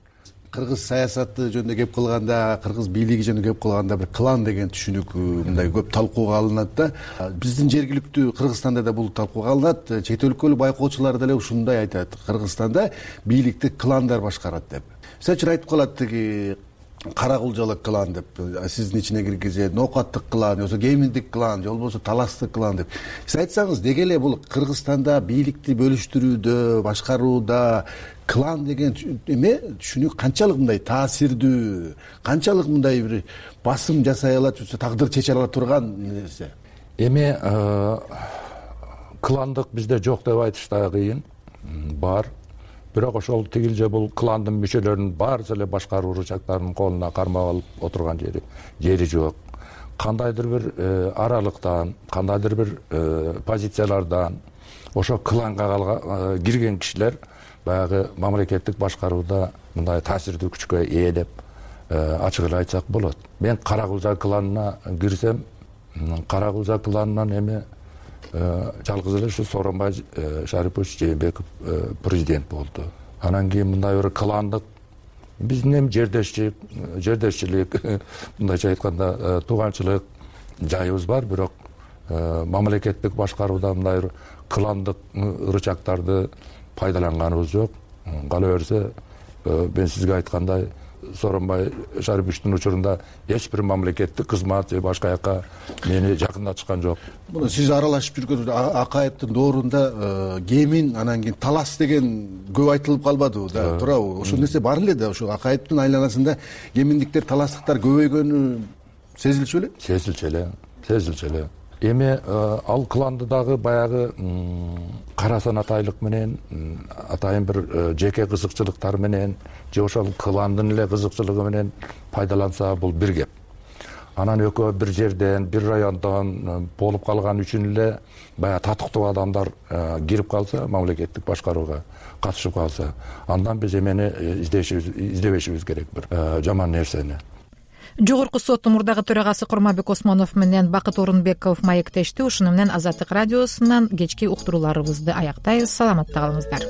Кыргыз саясаты жөнүндө кеп кылганда, кыргыз бийлиги жөнүндө кеп кылганда бир клан деген түшүнүк мындай көп талкууга алынат да. Биздин жергиликтүү Кыргызстанда да бул талкууга алынат. Чет өлкөлүк байкоочулар деле ушундай айтат. Кыргызстанда бийликти кландар башкарат деп. Мисалы үчүн айтып калат тиги кара кулжалык клан деп, сиздин ичине киргизет, ноокаттык клан, же кеминдик клан, же болбосо таластык клан деп. Сиз айтсаңыз, деги эле бул Кыргызстанда бийликти бөлүштүрүүдө, башкарууда клан деген эме түшүнүк канчалык мындай таасирдүү, канчалык мындай бир басым жасай алат, же тагдыр чече ала турган нерсе? Эми кландык бизде жок деп айтыш да кыйын. Бар. Бирок ошол тигилже бул кландын мүчөлөрүнүн баарысы эле башка ручактардын колуна кармап алып отурган жери жок. Кандайдыр бир аралыктан, кандайдыр бир позициялардан ошо кланга кирген кишилер баягы мамлекеттик башкарууда мындай таасирдүү күчкө ээ деп ачык эле айтсак болот. Мен Кара Кулжа кланына кирсем, Кара-Кулжа кланынан эми жалгыз эле ушу Сооронбай Шарипович Жээнбеков президент болду. Анан кийин мындай бир кландык биздин эми жердешчилик мындайча айтканда тууганчылык жайыбыз бар, бирок мамлекеттик башкарууда мындай бир кландык ырычактарды пайдаланганыбыз жок. Кала берсе мен сизге айткандай Сооронбай Шариповичтин учурунда эч бир мамлекеттик кызмат же башка жака мени жакындатышкан жок. Мына сиз аралашып жүргөн Акаевдин доорунда кемин анан кийин талас деген көп айтылып калбадыбы да, туурабы? Ошол нерсе бар эле да, ошо Акаевдин айланасында кеминдиктер, таластыктар көбөйгөнү сезилчү эле? Сезилчү эле. Эми ал кланды дагы баягы карасан атайлык менен, атайын бир жеке кызыкчылыктар менен же ошол кландын эле кызыкчылыгы менен пайдаланса бул бир кеп. Анан экөө бир жерден, бир райондон болуп калган үчүн эле баягы татыктуу адамдар кирип калса, мамлекеттик башкарууга катышып калса, андан биз эмени издебешибиз керек бир жаман нерсени. Жогорку соттун мурдагы төрагасы Курманбек Осмонов менен Бакыт Орунбеков маектешти. Ушуну менен Азаттык радиосунан кечки уктурууларыбызды аяктайбыз. Саламатта калыңыздар.